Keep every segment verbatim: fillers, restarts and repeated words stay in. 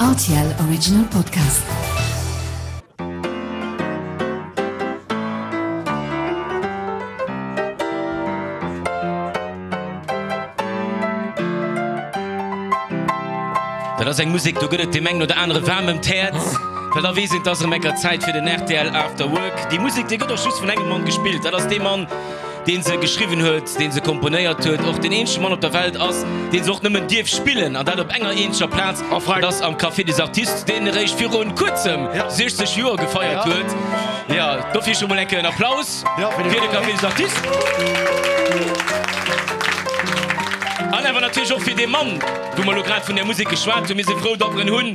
R T L Original Podcast. Dat ass eng Musek, do gëtt et deem engen oder anere waarm ëm d'Häerz, well da weess een, et ass erëm enker Zäit fir den R T L After Work. Déi Musek, déi gëtt och just vun engem Mann gespillt, dat ass dee Mann, dee se geschriwwen huet, dee se komponéiert huet, och deen eenzege Mann op der Welt ass, dee se och nëmmen dierf spillen, an dat op enger eenzeger Plaz, dat ass am Café des Artistes, deen eréischt virun kuerzem siechzeg Joer gefeiert huet. Jo, dofir scho mol eng Kéier en Applaus fir de Café des Artistes. An awer natierlech och fir dee Mann, wou mer elo grad vun där Musek geschwat hunn. Mir si frou, datt mer en hunn.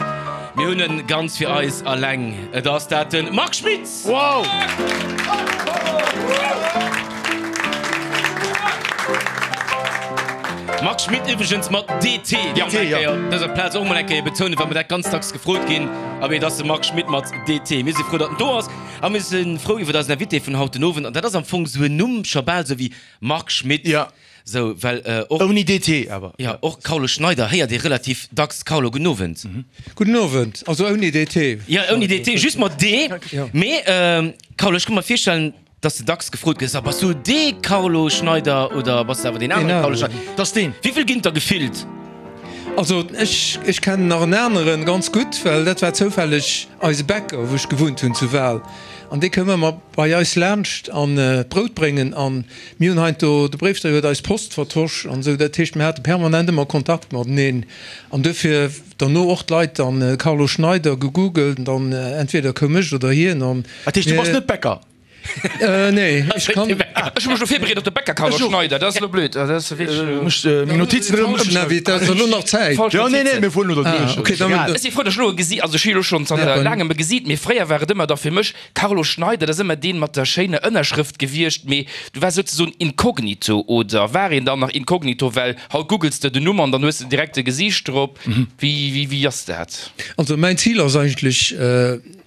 Mir hunn en ganz fir eis alleng. Et ass dat de Marc Schmitz! Wow! Marc Schmitt iwwregens mat D T, ja, D T, ja. Op dëser Plaz och mol eng Kéier betounen, well mer dat ganz dacks gefrot ginn. Abee, et ass de Marc Schmitt mat D T. Mir si frou, datt en do ass a mir si frou iwwer eisen Invité vun haut den Owend. An dat ass am Fong esou en Numm, scho bal esou wéi Marc Schmitt. Ja. Sou, well och. Ouni D T awer. Ja, och Carlo Schneider héiert ee relativ dacks. Carlo, gudden Owend. Gudden Owend. Also ouni D T. Ja, ouni D T, just mat D. Mee, Carlo, ech ka mer virstellen, dass de dacks gefrot gëss, A bass du dee Carlo Schneider oder bass de awer deen anere Carlo Schneider? Dat ass deen. Wéi vill ginn et der gefillt? Also ech, ech kennen nach en aneren ganz gutt, well dat war zoufälleg eise Bäcker, wou ech gewunnt hunn zu Wal. An dee koum ëmmer bei eis laanscht an d'Brout bréngen. An mir hunn heiansdo, de Bréifdréier huet eis Post vertosch an esou. Dat heescht, mir hate permanent ëmmer Kontakt mateneen. An duerfir derno och d'Leit dann Carlo Schneider gegoogelt an dann entweder koum ech oder hien an. Dat heescht, du bass net Bäcker? Nee, ech kann. Ech hu mech elo virbereet op de Bäcker Carlo Schneider, dat ass elo blöd. Dat ass wierklech. Meng Notizen erëm ëmschreiwen. Dat ass elo nach Zäit. Jo, nee, nee, mir fueren elo derduerch. Okay, dann. Ech si frou, datt ech elo e gesi, also ech hu elo schonn zanter laangem e gesiit, mee fréier war et ëmmer da fir mech Carlo Schneider, dat ass ëmmer deen mat der schéiner Ënnerschrëft gewiescht, mee du waars souzesoen inkognito, oder war een dann nach inkognito, well haut googles de den Numm an dann hues de direkt e Gesiicht drop. Wéi, wéi, wéi ass dat? Also mäin Zil ass eigentlech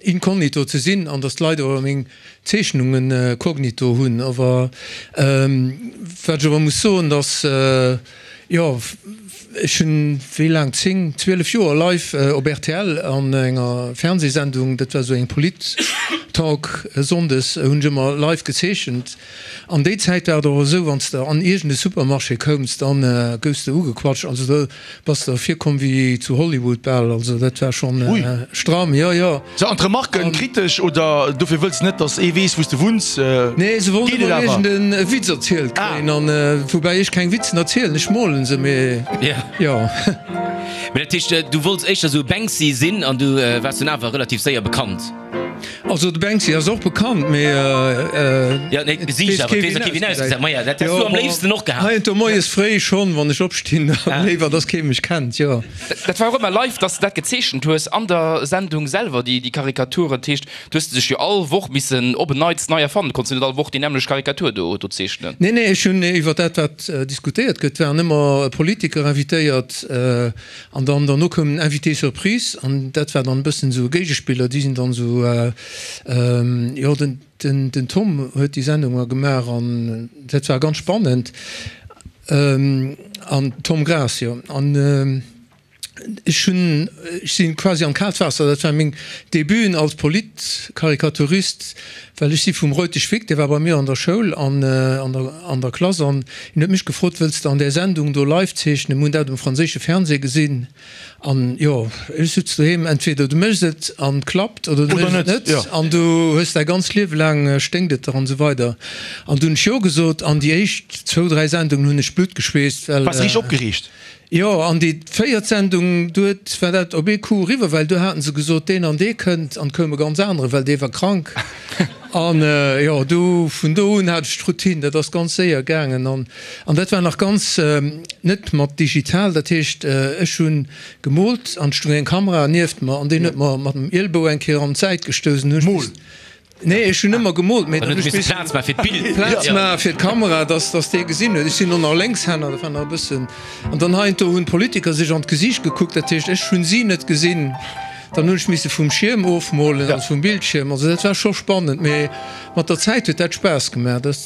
inkognito ze sinn an datt d'Leit awer meng Zeechnungen cognito hunn. Awer wat ech awer muss soen, datt, jo, ech hunn wéi laang, zéng, zwielef Joer live op R T L an enger Fernsehsendung, dat war esou eng Polit-Talk sonndes, hunn ech ëmmer live gezeechent. An déi Zäit war et och esou, wann s de an iergend e Supermarché koums, dann goufs de ugequatscht. Also do bass de virkomm wéi zu Hollywood bal. Also dat war schonn stramm, jo, jo. Sou, an d'Remarken kritesch oder dofir wëlls net, dass ee weess, wou s de wunns? Nee, se wollten Geet et ëmmer awer? iergend e Witz erzielt kréien. An woubäi ech keng Witzen erzielen, ech molen se, mee jo. Mee dat heescht, du wollts éischter sou e Banksy sinn an du waars dunn awer relativ séier bekannt? Also de Banksy ass och bekannt, mee Jo, nee, d'Gesiicht awer, et weess och kee wéi en ausgesäit. Maja, dat häss du am léifsten och gehat. Heiansdo moies fréi schonn, wann ech opstinn, da léiwer, dass kee mech kennt, jo. Dat war och ëmmer live, dass de dat gezeechent hues an der Sendung selwer, déi déi Karikaturen. Dat heescht, du hues dech jo all Woch missen op en Neits nei erfannen. Du konns jo net all Woch déi nämmlecht Karikatur do do zeechnen. Nee, nee, ech hunn iwwer dat, wat diskutéiert gëtt, waren ëmmer Politiker invitéiert an dann derno koum en Invité surprise an dat war dann e bëssen esou e Géigespiller. Déi sinn dann esou, jo, den, den, den Tom huet déi Sendung ëmmer gemaach an dat war ganz spannend. An Tom Graas, jo. An ech hunn, ech si quasi an d'kaalt Waasser, dat war meng Debuten als Politkarikaturist, well ech si vum Reutesch Vic, dee war bei mir an der Schoul an an der an der Klass an hien huet mech gefrot, wëlls de an där Sendung do live zeechnen? Mir hunn dat um franséische Fernseh gesinn an jo, ech sutz doheem, entweder du méchs et an et klappt oder du méchs et net an du hues däi ganzt Liewe laang sténkt et der an esou weider. An du hunn ech jo gesot an déi éischt zwou, dräi Sendungen hunn ech Blutt geschweesst, well. Waars richteg opgereegt? Jo, an déi véiert Sendung, do huet, war dat op ee Coup eriwwer, well do haten se gesot, deen an dee kënnt, an et koum e ganz anere, well dee war krank. An jo, do, vun do un hat ech d'Routine, dat ass ganz séier gaangen. An, an dat war nach ganz net mat digital, dat heescht, ech hu gemoolt an et stoung eng Kamera nieft mer an deen huet mer mat dem Ielbou eng Kéier an d'Säit gestouss an hu ech Mol. Nee, ech hunn ëmmer gemoolt, mee Dann dann huet hunn ech misse Plaz maache fir d'Bild. Plaz maache fir d'Kamera, dass dass dee gesinn huet. Ech sinn och nach Lénkshänner, dat war nach e bëssen. An dann heiansdo hunn d'Politiker sech an d'Gesiicht gekuckt, dat heescht, ech hunn si net gesinn. Dann hunn ech misse vum Schierm ofmolen, also vum Bildschierm. Also dat war scho spannend, mee mat der Zäit huet dat Spaass gemaach. Dat.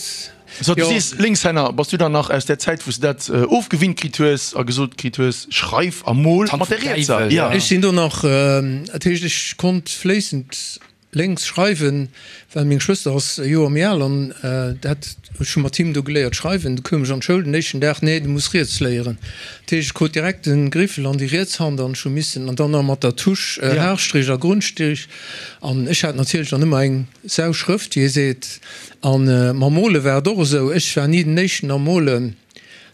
So, du Jo. sees Linkshänner, bass du dann nach aus där Zäit, wou s de dat ofgewinnt kritt hues a gesot kritt hues, schreif a mol D'Hand mat der vum rietser? Däiwel, Ja. ja. Ech sinn do nach, dat heescht, ech konnt fléissend lénks schreiwen, well meng Schwëster ass e Joer méi al an dat, ech hu mat him do geléiert schreiwen. Du koum ech an d'Schoul den éischten Dag, nee, du muss riets léieren. Dat heescht, ech krut direkt de Griffel an déi riets Hand an ech hu missen, an dann nach mat der Tusch, Haarstrich a Grundstrich an ech hat natierlech dann ëmmer eng Sauschrëft, wéi ee seet. An mam Mole war et och esou, ech war ni den éischten am Molen.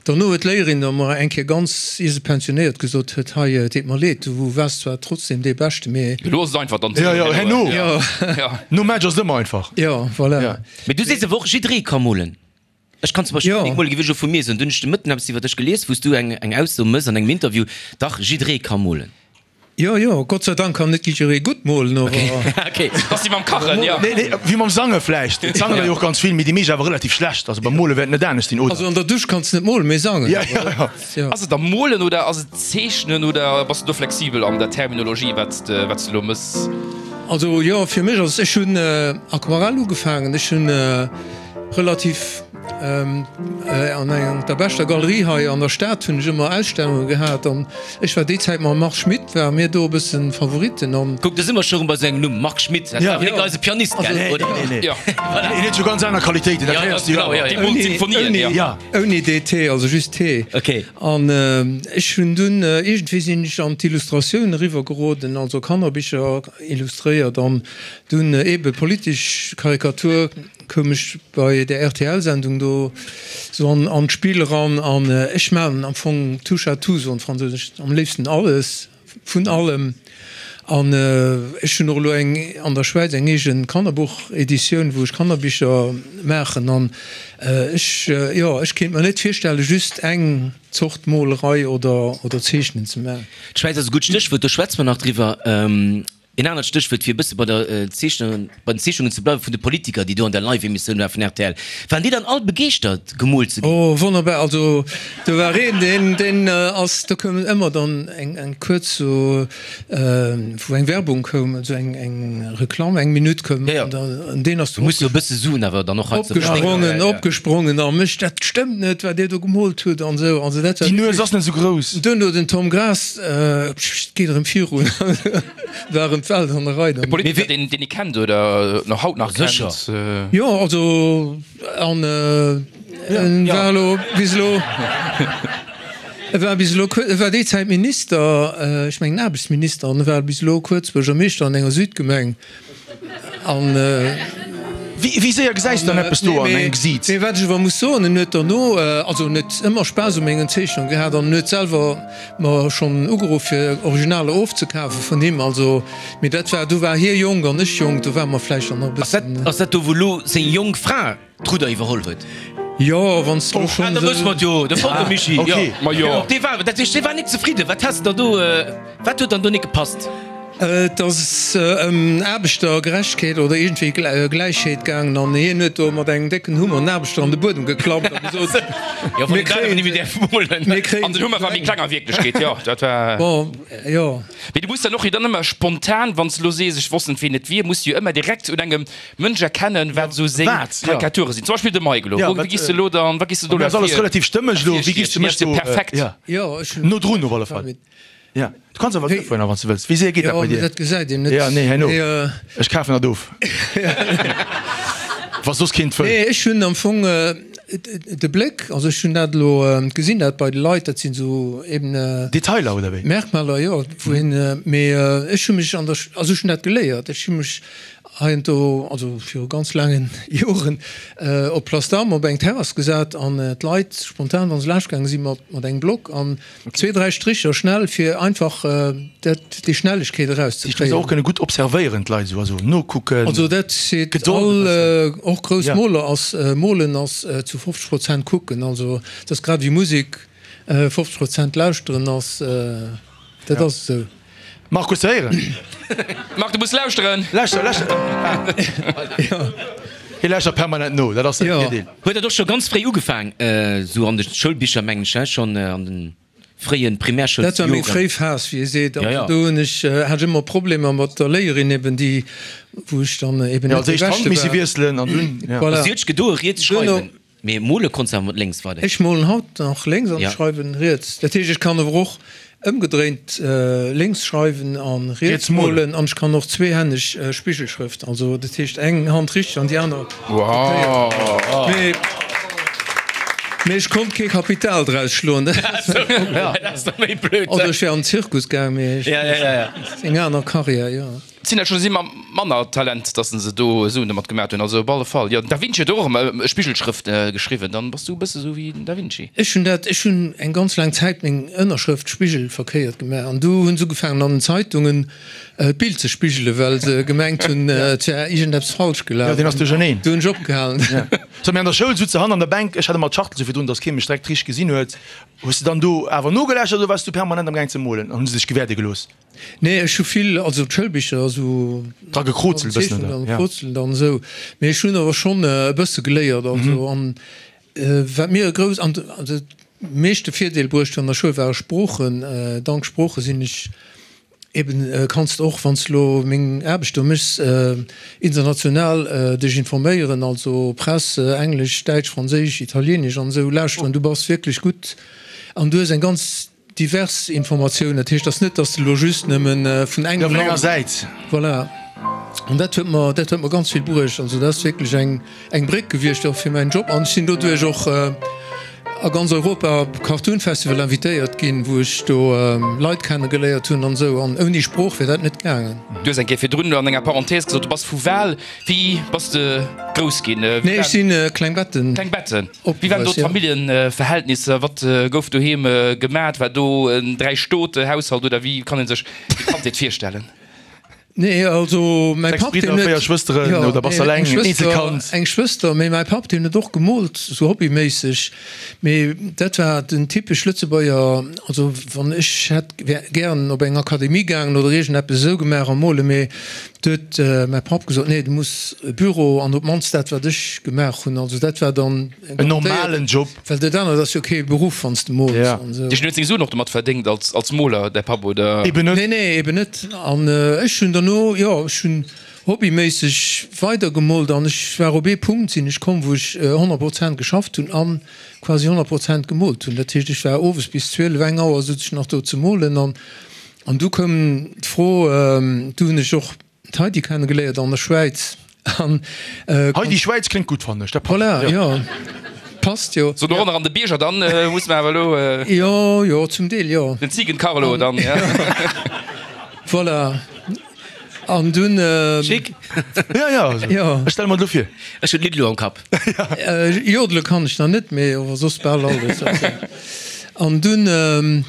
Dono huet d'Léierin da mer eng Kéier ganz, ier se pensionéiert, gesot huet, Hei, et deet mer leed, du waars zwar trotzdem dee Beschte, mee. Elo ass et einfach dann. Jo, jo, herno. Jo. Nom Match ass et ëmmer einfach. Jo, voilà. Ja. Mee du sees awer och, jidderee ka molen. Ech kann zum Beispill Jo. nik molen, géif ech elo vu mir soen. Dunn hunn ech de Mëtten eppes iwwer dech gelies, wou s du eng, eng Ausso mëss an engem Interview, Dach, jidderee ka molen. Jo, jo, Gott sei Dank kann net jidderee gutt molen, awer. Okay. Dat ass wéi mam Kachen, jo. Nee, nee, wéi mam Sange vläicht. Et sangen der jo och ganz vill, mee déi meescht awer relativ schlecht. Also beim Mole wäert et net anescht sinn, oder? Also an der Dusch kanns de net molen, mee sangen. Ja, ja, ja. Jo. Ass et da molen oder ass et zeechnen oder bass du do flexibel an der Terminologie, wat s de, wat s de elo mëss? Also jo, fir mech ass, ech hunn Aquarell ugefaangen, ech hunn relativ an enger der beschter Galerie hei an der Stad hunn ech ëmmer Ausstellunge gehat an ech war déi Zäit mam Marc Schmitt ware mir do e bëssen Favoritten an. Kuck, do si mer scho rëm bei sou engem Numm, Marc Schmitt, dat war awer nik eise Pianist, gell, oder? Nee, nee, Jo. Hien huet scho ganz aner Qualitéiten, dat Ja, héiers du jo genau, awer. ja, Déi ja. moolt Sinfonien, jo. Ja. Ouni D T, also just T. Okay. An ech hunn dunn, iergendwéi sinn ech an d'Illustratioun eriwwer geroden, also Kannerbicher illustréiert an dunn eebe politesch Karikatur koum ech bei der R T L-Sendung do sou an an d'Spill eran an ech maachen am Fong touche à tout, soen d'Fransousen, ech am léifsten alles vun allem an ech hunn och elo eng an der Schwäiz eng eegen Kannerbuch-Editioun, wou ech Kannerbicher maachen an ech, jo, ech kéint mer net virstelle just eng Zort Molerei oder oder Zeechnen ze maachen. D'Schwäiz ass e gutt Stéchwuert, do schwätze mer nach driwwer. Een anert Stéchwuert, fir e bësse bei der Zeechnung, bei den Zeechnungen ze bleiwen, vun de Politiker, déi do an der Live-Emissioun waren vun R T L. Waren déi dann all begeeschtert, gemoolt ze ginn? Oh, wonnerbar. Also do war een, deen, deen ass, do koum ëmmer dann eng, eng kuerz sou, wou eng Werbung koum, also eng, eng Reklamm, eng Minutt koum, Ja, ja. an da, an deen ass Du muss jo e bësse Suen awer dann och hei ze verspécken. opgesprongen, opgesprongen a mécht, dat stëmmt net, wat Dir do gemoolt hutt an esou. Also dat war Déi Nues ass net esou grouss. Duerno den Tom Graas, pssst, geet erëm virun. War erëm d'Welt an der Rei dann. E Politiker, deen deen ee kennt oder nach haut nach Sécher. kennt? Jo, also an en war elo bis elo, e war bis elo, e war déi Zäit Minister, ech mengen Aarbechtsminister, an e war bis elo kuerz Buergermeeschter an enger Südgemeng an. Wéi wéi séier gesäis de dann eppes do an engem Gesiit? Mee wat ech awer muss soen, en huet derno, also en huet ëmmer Spaass u mengen Zeechnungen gehat an en huet selwer mer schonn ugeruff fir Originaler ofzekafe vun him. Also, mee dat war, do war hie jonk an ech jonk, do ware mer vläicht dann nach e Ass dat, bëssen. ass dat do wou elo seng jonk Fra d'Rudder iwwerholl huet? Jo, wann s de elo Ah, schonn da wësse mer esou. et jo, de Volker Michi, jo. Okay. Ma jo. Dee war, dat heescht, dee war nik zefridden. Wat has de da do, wat huet dann do nik gepasst? Et ass ëm Aarbechtergerechtegkeet oder iergendwéi Gläichheet gaangen an hien huet do mat engem décken Hummer en Aarbechter an de Buedem geklappt a gesot, Mir kréien mir kréien An den Hummer war méi kleng a Wierklechkeet, jo, dat war. Bon, jo. Mee du muss dann och jo dann ëmmer spontan, wann s de elo sees, ech wosst net, ween et wier, muss du jo ëmmer direkt un engem Mënsch erkennen, wat esou seng Karikature sinn. Zum Beispill de Mike elo. Wou giss de elo dann, wat giss de do elo? Ass alles relativ stëmmeg elo. Wéi giss de mech do? Perfekt. Jo, ech hunn. No drun op alle Fall. Ja, du kanns awer duerfueren, wann s du wëlls. Wéi séier geet dat Jo, bei mee dir? dat gesäit een net. Ja, nee, herno. Mee, äh, Ech kafen dat of. Wa soss keent wëll. Nee, ech hunn am Fong äh, de Bléck, also ech hunn dat elo äh, gesinn, dat bei de Leit, dat sinn esou eben äh, Detailer, oder wéi? Merkmaler, jo, wou een, äh, mee äh, ech hu mech an der, Sch- also ech hunn dat geléiert, ech hu mech heiansdo, also viru ganz laangen Joren, äh, op Place d'Armes op eng Terrass gesat an äh, d'Leit spontan, wann se laanscht gaange sinn, mat, mat engem Block an zwee, dräi Stricher schnell, fir einfach äh, dat, déi Schnellegkeet Déi muss erauszekréien. och kënne gutt observéieren, d'Leit esou, also nokucken. Also dat seet Gedold all, e bëssen. äh, och grouss Ja. Moler ass, äh, Molen ass äh, zu fofzeg Prozent kucken, also dat ass grad wéi Musek, äh, fofzeg Prozent lauschteren ass, äh, dat ass esou. Marc, hues de héieren? Marc, du muss lauschteren! Lauschter, lauschter! Ja. Hie lauschtert permanent no, dat ass säi Ja. Virdeel. Huet dat och scho ganz fréi ugefaang, esou an de Schoulbicher, mengen ech, schonn an de fréie Dat war meng Primärschoulsjoren? fréi Phas, wéi ee seet. Ja, ja. Also do hunn ech, hat ech ëmmer Problemer mat der Léierin eben, déi, wou ech dann eben Ja, net als dee éischt d'Hand Beschte misse war. wiesselen an dunn, ja. Voilà. Si huet sech gedoe, riets Duerno, schreiwen. Mee mole konns de awer mat lénks weiderhin? Ech molen haut nach lénks an Ja. schreiwen riets. Dat heescht, ech kann awer och ëmgedréint lénks schreiwen an riets Riets molen. molen an ech kann och zweehänneg Spigelschrëft, also dat heescht eng Hand richteg an déi aner Wow! Mee, mee ech konnt kee Kapital draus schloen. Dat ass da méi blöd. Oder ech wär an den Zirkus gaang, mee ech, Ja, ja, ja, ja. eng aner Karriär, jo. Et sinn der scho si mam manner Talent, dass se do Suen domat gemat hunn. Also op alle Fall. Jo, den Da Vinci huet och ëmmer Spigelschrëft geschriwwen. Dann bass du e bësse sou wéi den Da Vinci. Ech hunn dat, ech hunn eng ganz laang Zäit meng Ënnerschrëft spigelverkéiert gemaach an du hunn se ugefaangen an den Zeitungen d'Bild ze spigelen, well se gemengt hunn, et wär iergendeppes falsch gelaf. Jo, deen ass duercherneen. Du hunn ech opgehalen. So, mee an der Schoul sutz de hannen an der Bänk, ech hat ëmmer d'Schachtel sou virdrun, dass kee mech direkt richteg gesinn huet. Hues de dann do awer nogelauschtert oder waars du permanent am gaang ze molen an hu se dech gewäerde gelooss? Nee, ech hu vill, also d'Schoulbicher esou Dra gekrozelt e bëssen, Zeechnungen oder? an Ja. gekrozelt an esou. Mee ech hunn awer schonn e bësse geléiert, also an wat mir e grouss an also meeschte Virdeel bruecht hunn an der Schoul ware Sproochen. Dank Sprooche sinn ech eben, kanns de och, wann s de elo meng Aarbecht do méchs, international dech informéieren, also Press, Englesch, Däitsch, Franséisch, Italieenesch an esou lauschteren. Du bass wierklech gutt an du hues eng ganz divers Informatioun. Dat heescht, et ass net, datt s de elo just nëmme vun engem Vun enger Land. Säit. Voilà. An dat huet mer, dat huet mer ganz vill bruecht. Also dat ass wierklech eng, eng Bréck gewiescht och fir mäin Job. An ech sinn doduerch och a ganz Europa op Cartoon Festival invitéiert ginn, wou ech do Leit kenne geléiert hunn an esou. An ouni Sprooch wier dat net gaangen. Du hues eng Kéier virdrun an enger Parenthèse gesot, du bass vu Wal. Wéi bass de grouss ginn? Nee, ech si Klengbetten. Klengbetten. Wéi waren do Opgewuess, ja. d'Familljenverhältnisser? Wat gouf doheem gemat? War do en Dräi-Stote-Haushalt oder wéi kann ee sech déi Kandheet virstellen? Nee, also mäi Sechs Papp, deen Bridder, huet, véier Schwësteren, jo, oder bass nee, eleng, eng Schwëster, Eenzelkand? eng Schwëster, mee mäi Papp, deen huet och gemoolt, sou hobbyméisseg, mee dat war den typesch Lëtzebuerger, also wann ech hätt, wär gären op eng Akademie gaangen oder iergendeppes esou gemaach am Mole, mee du huet mäi Papp gesot, nee, du muss e Büro an op d'mannst dat, wat ech gemaach hunn, also dat war dann En normalen Job. Well dat anert ass jo kee Beruff, wann s de mools Ja. an esou. Dech huet seng Suen och domat verdéngt als, als Moler, däi Papp, oder? Eben net. Nee, nee, eben net. An ech hunn derno, jo, ech hunn hobbyméisseg weidergemoolt an ech war op ee Punkt sinn ech komm, wou ech honnert Prozent geschafft hunn an quasi honnert Prozent gemoolt hunn. Dat heescht, ech war owes bis zwielef, eng Auer sot ech nach do ze molen an an du koum d'Fro, du hunn ech och d'Heidi kennegeléiert an der Schwäiz an. Heidi Schwäiz kléngt gutt, fannen ech, dat passt. Voilà, jo, passt jo. So dorënner an de Bierger, dann muss mer awer elo. Jo, jo, zum Deel, jo. Den Ziegen-Carlo dann, ja. Voilà. An dunn. Chic. Ja, ja, also, Jo. ech stelle mer et elo vir. Ech hunn d'Lidd elo am Kapp. Jodele kann ech nach net, mee awer soss bal alles. An dunn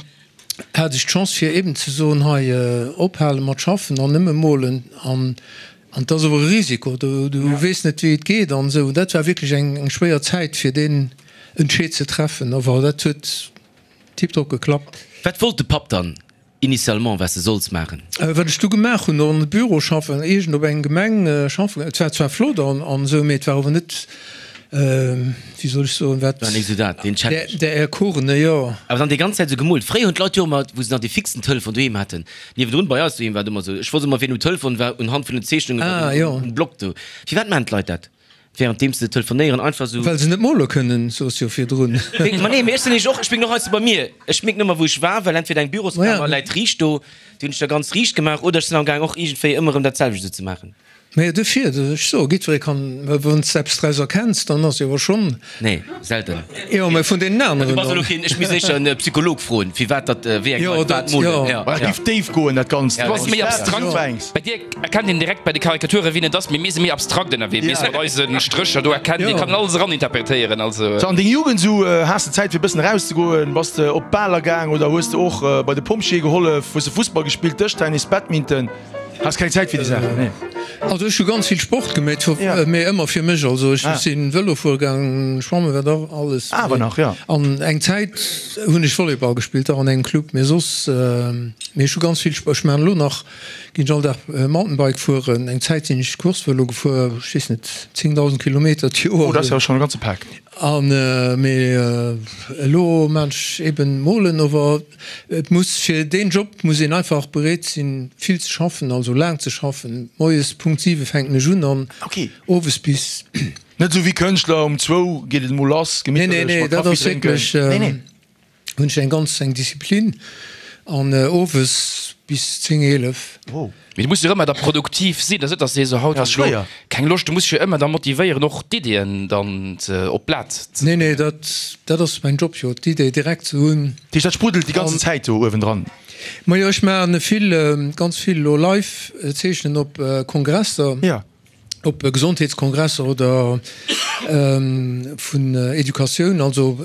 hat ech d'Chance fir eben ze soen, hei, ophale mat schaffen an nëmme molen. An an et ass awer e Risiko, du du weess net wéi et geet an esou. Dat war wierklech eng eng schwéier Zäit fir deen Entscheed ze treffen, awer dat huet tiptop geklappt. Wat wollt de Papp dann initialement, wat s de solls maachen? Wat ech du gemaach hunn, an de Büro schaffen, iergend op eng Gemeng schaffen. Et war zwar flott an an esou, mee et war awer net, wéi soll ech soen, wat. War net esou dat, deen Challenge. Der Erkorene, jo. Awer dann déi ganz Zäit esou gemoolt. Fréier hunn d'Leit jo ëmmer, wou se nach dee fixen Telefon doheem haten, niewendrun bei eis doheem war et ëmmer esou, ech wosst ëmmer, wien um Telefon war, unhand vun den Zeechnungen Ah, jo. um Block do. Firwat maachen d'Leit dat, währenddeem se telefonéieren, einfach esou? Well se net mole kënnen, soos jo virdrun. Ma nee, mee ech sinn nämlech och, ech mierken och heiansdo bei mir, ech mierken ëmmer, wou ech war, well entweder eng Büroskammer läit riicht do, déi hunn ech da ganz riicht gemaach, oder ech sinn amgaang och iergendwéi ëmmer erëm dat selwecht esou ze maachen. Mä dofir, ech soe, jiddweree kann, wann s de eppes draus erkenns, dann ass jo awer schonn. Nee, selten. Jo, mä vun deenen aneren Du bass elo dann. keen, ech misst éischter en Psycholog froen, firwat datt, wéi eng Leit wat molen. Jo, Jo, Dat géif déif goen, dat Ganzt. Du bass méi abstrakt. Bei dir erkennt een direkt bei de Karikature wien et ass, mee mir si méi abstrakt ënnerwee. Mir si mat eise Strécher do erkennt, ee kann alles eraninterpretéieren. Also. So, an deng Jugend sou, has de Zäit fir e bëssen erauszegoen? Bass de op Baler gaang oder hues de och bei de Pompjeeë gehollef? Hues de Fussball gespillt, Dëschtennis, Badminton? Has keng Zäit fir déi Saachen, nee? Also ech hu ganz vill Sport gemeet, mee ëmmer fir mech. Also ech sinn Vëlo fuere gaangen, schwammen, wat och alles. Awer nach, jo. An eng Zäit hunn ech Volleyball gespillt, och an engem Club, mee soss, mee ech hu ganz vill Sport. Ech maachen elo nach, ginn ech all Dag Mountainbike fueren. Eng Zäit sinn ech Course-Vëlo gefuer, ech weess net, zéngdausend Kilometer d'Joer. Oh, dat ass jo schonn e ganze Pak. An, mee elo maan ech eben molen, ower et muss, fir deen Job muss een einfach bereet sinn vill ze schaffen, also laang ze schaffen. Moies Punkt siwe fänken ech un an owes bis Net esou wéi Kënschtler, um zwou geet et emol lass, Nee, nee, gemitterlech nee, mat dat Kaffi ass drénken. wierklech, Nee, nee. hunn ech eng ganz eng Disziplin an owes bis zéng, eelef. Wow. Mee du muss jo ëmmer da produktiv sinn, dat ass net, dass de sees, haut Ja, hunn ass ech lo schwéier. keng Loscht. Du muss dech jo ëmmer da motivéieren, och d'Iddien dann ze op d'Blat ze. Nee, nee, dat, dat ass mäin Job jo, d'Idee direkt ze hunn. Dat heescht, dat spruddelt déi ganzen Zäit do uewendran? Majo, ech maachen vill, ganz vill elo live zeechnen op Kongresser. Ja. Op Gesondheetskongresser oder vun Educatioun, also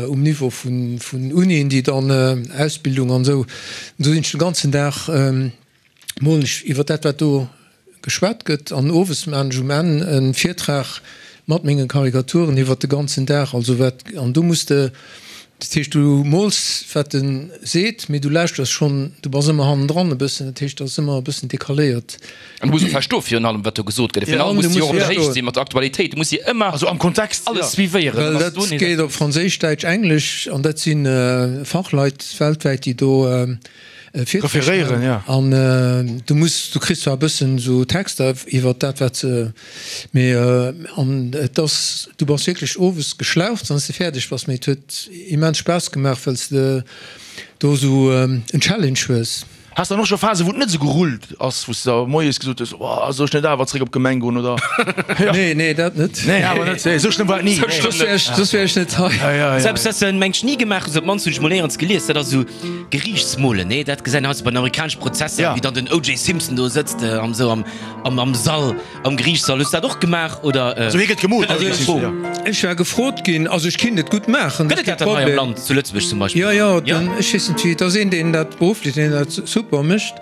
um Niveau vun Unien, déi dann Ausbildung an esou. Do sinn ech de ganzen Dag, molen ech iwwer dat, wat do geschwat gëtt an owes maachen ech um Enn e Virtrag mat menge Karikaturen iwwer de ganzen Dag. Also wat, an do muss de, dat heescht du mools wat en seet, mee du lauschters schonn, du bass ëmmer hannendran e bëssen, dat heescht dat ass ëmmer e bëssen decaléiert. An du muss och verstoen virun allem wat do gesot gëtt, virun allem muss de jo och op der Héicht si mat der Aktualitéit, du muss jo ëmmer Also am Kontext, alles suivéieren. Well dat geet op Franséisch, Däitsch, Englesch an dat si Fachleit weltwäit déi do Virträg ja. An du muss, du kriss zwar e bëssen esou Texter iwwer dat wat se, mee an et ass, du bass wierklech owes geschlaucht wann s de fäerdeg bass, mee et huet immens Spaass gemaach, well s de do esou en Challenge hues. Has dann och scho Phasen, wou et net esou gerullt ass, wou s de da moies gesot hues, oh, soll ech net awer zréck op d'Gemeng goen oder? Nee, nee, dat net. Nee, awer net, nee, esou schlëmm war et ni. Soss wär ech, soss wär ech net hei. Ja, ja, ja. Selbst dat mengt ech ni gemaach, also op d'mannst hunn ech mol néierens gelies, dat ass esou Geriichtsmolen, nee, dat gesäit een heiansdo bei den amerikanesche Prozesser, Ja. wéi dann den O J. Simpson do sëtzt an esou am, am, am Sall, am Geriichtssall. Hues du dat och gemaach oder? Also hie gëtt gemoolt, Dat ass also eng Fro. ja. Ech war gefrot ginn, also ech kinnt et gutt maachen, Gëtt et dat dann hei am Land, zu Lëtzebuerg zum Beispill? Jo, jo, den, ech weess net wéi, et ass een, deen dat berufflech, deen dat super mécht,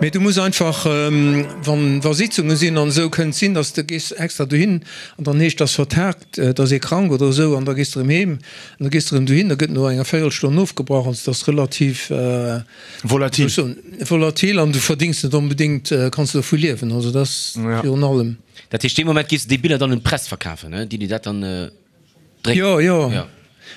mee du muss einfach, wann, wa Sitzunge sinn an esou, kënnt sinn, dass de gees extra dohin an dann heescht, dass vertagt, et ass ee krank oder esou an da gees de erëm heem an da gees de erëm dohin, da gëtt no enger Véierelstonn ofgebrach. Also et ass relativ, Volatil. wéi soll ech soen, volatil an du verdéngs net onbedéngt, kanns de dovu liewen. Also dat ass virun allem. Dat heescht, dee Moment giffs de déi Biller dann un d'Press verkafen, déi déi dat dann drécken? Jo, jo.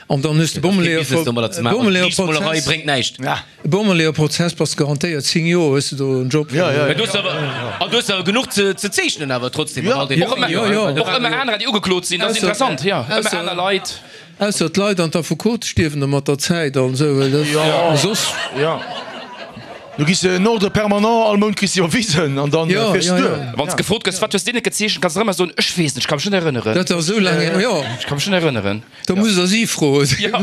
An dann hues de Bommeleeër-Prozess. Bréngt näischt. Bommeleeër-Prozess bass garantéiert zéng Joer hues de do en Job. Ja, ja, ja. Du hues awer, an du hues awer genuch ze ze zeechnen awer trotzdem. Ja, all den Och ëmmer, Ja, ja. och ëmmer anerer, déi ugeklot sinn, dat ass interessant, jo, ëmmer aner Leit. Ausser d'Leit an d'Affekote stierwen da mat der Zäit an esou, well dat, soss. Ja. Du giss en Ordre permanent, all Mount kriss de iwwerwisen an dann fiers de duer. Wann s gefrot gëss, wat hues de net gezeechent, kanns de ëmmer soen, ech weess net, ech ka mech net erënneren. Dat ass esou laang hier, jo. Ech ka mech net erënneren. Da muss der si froen. Jo.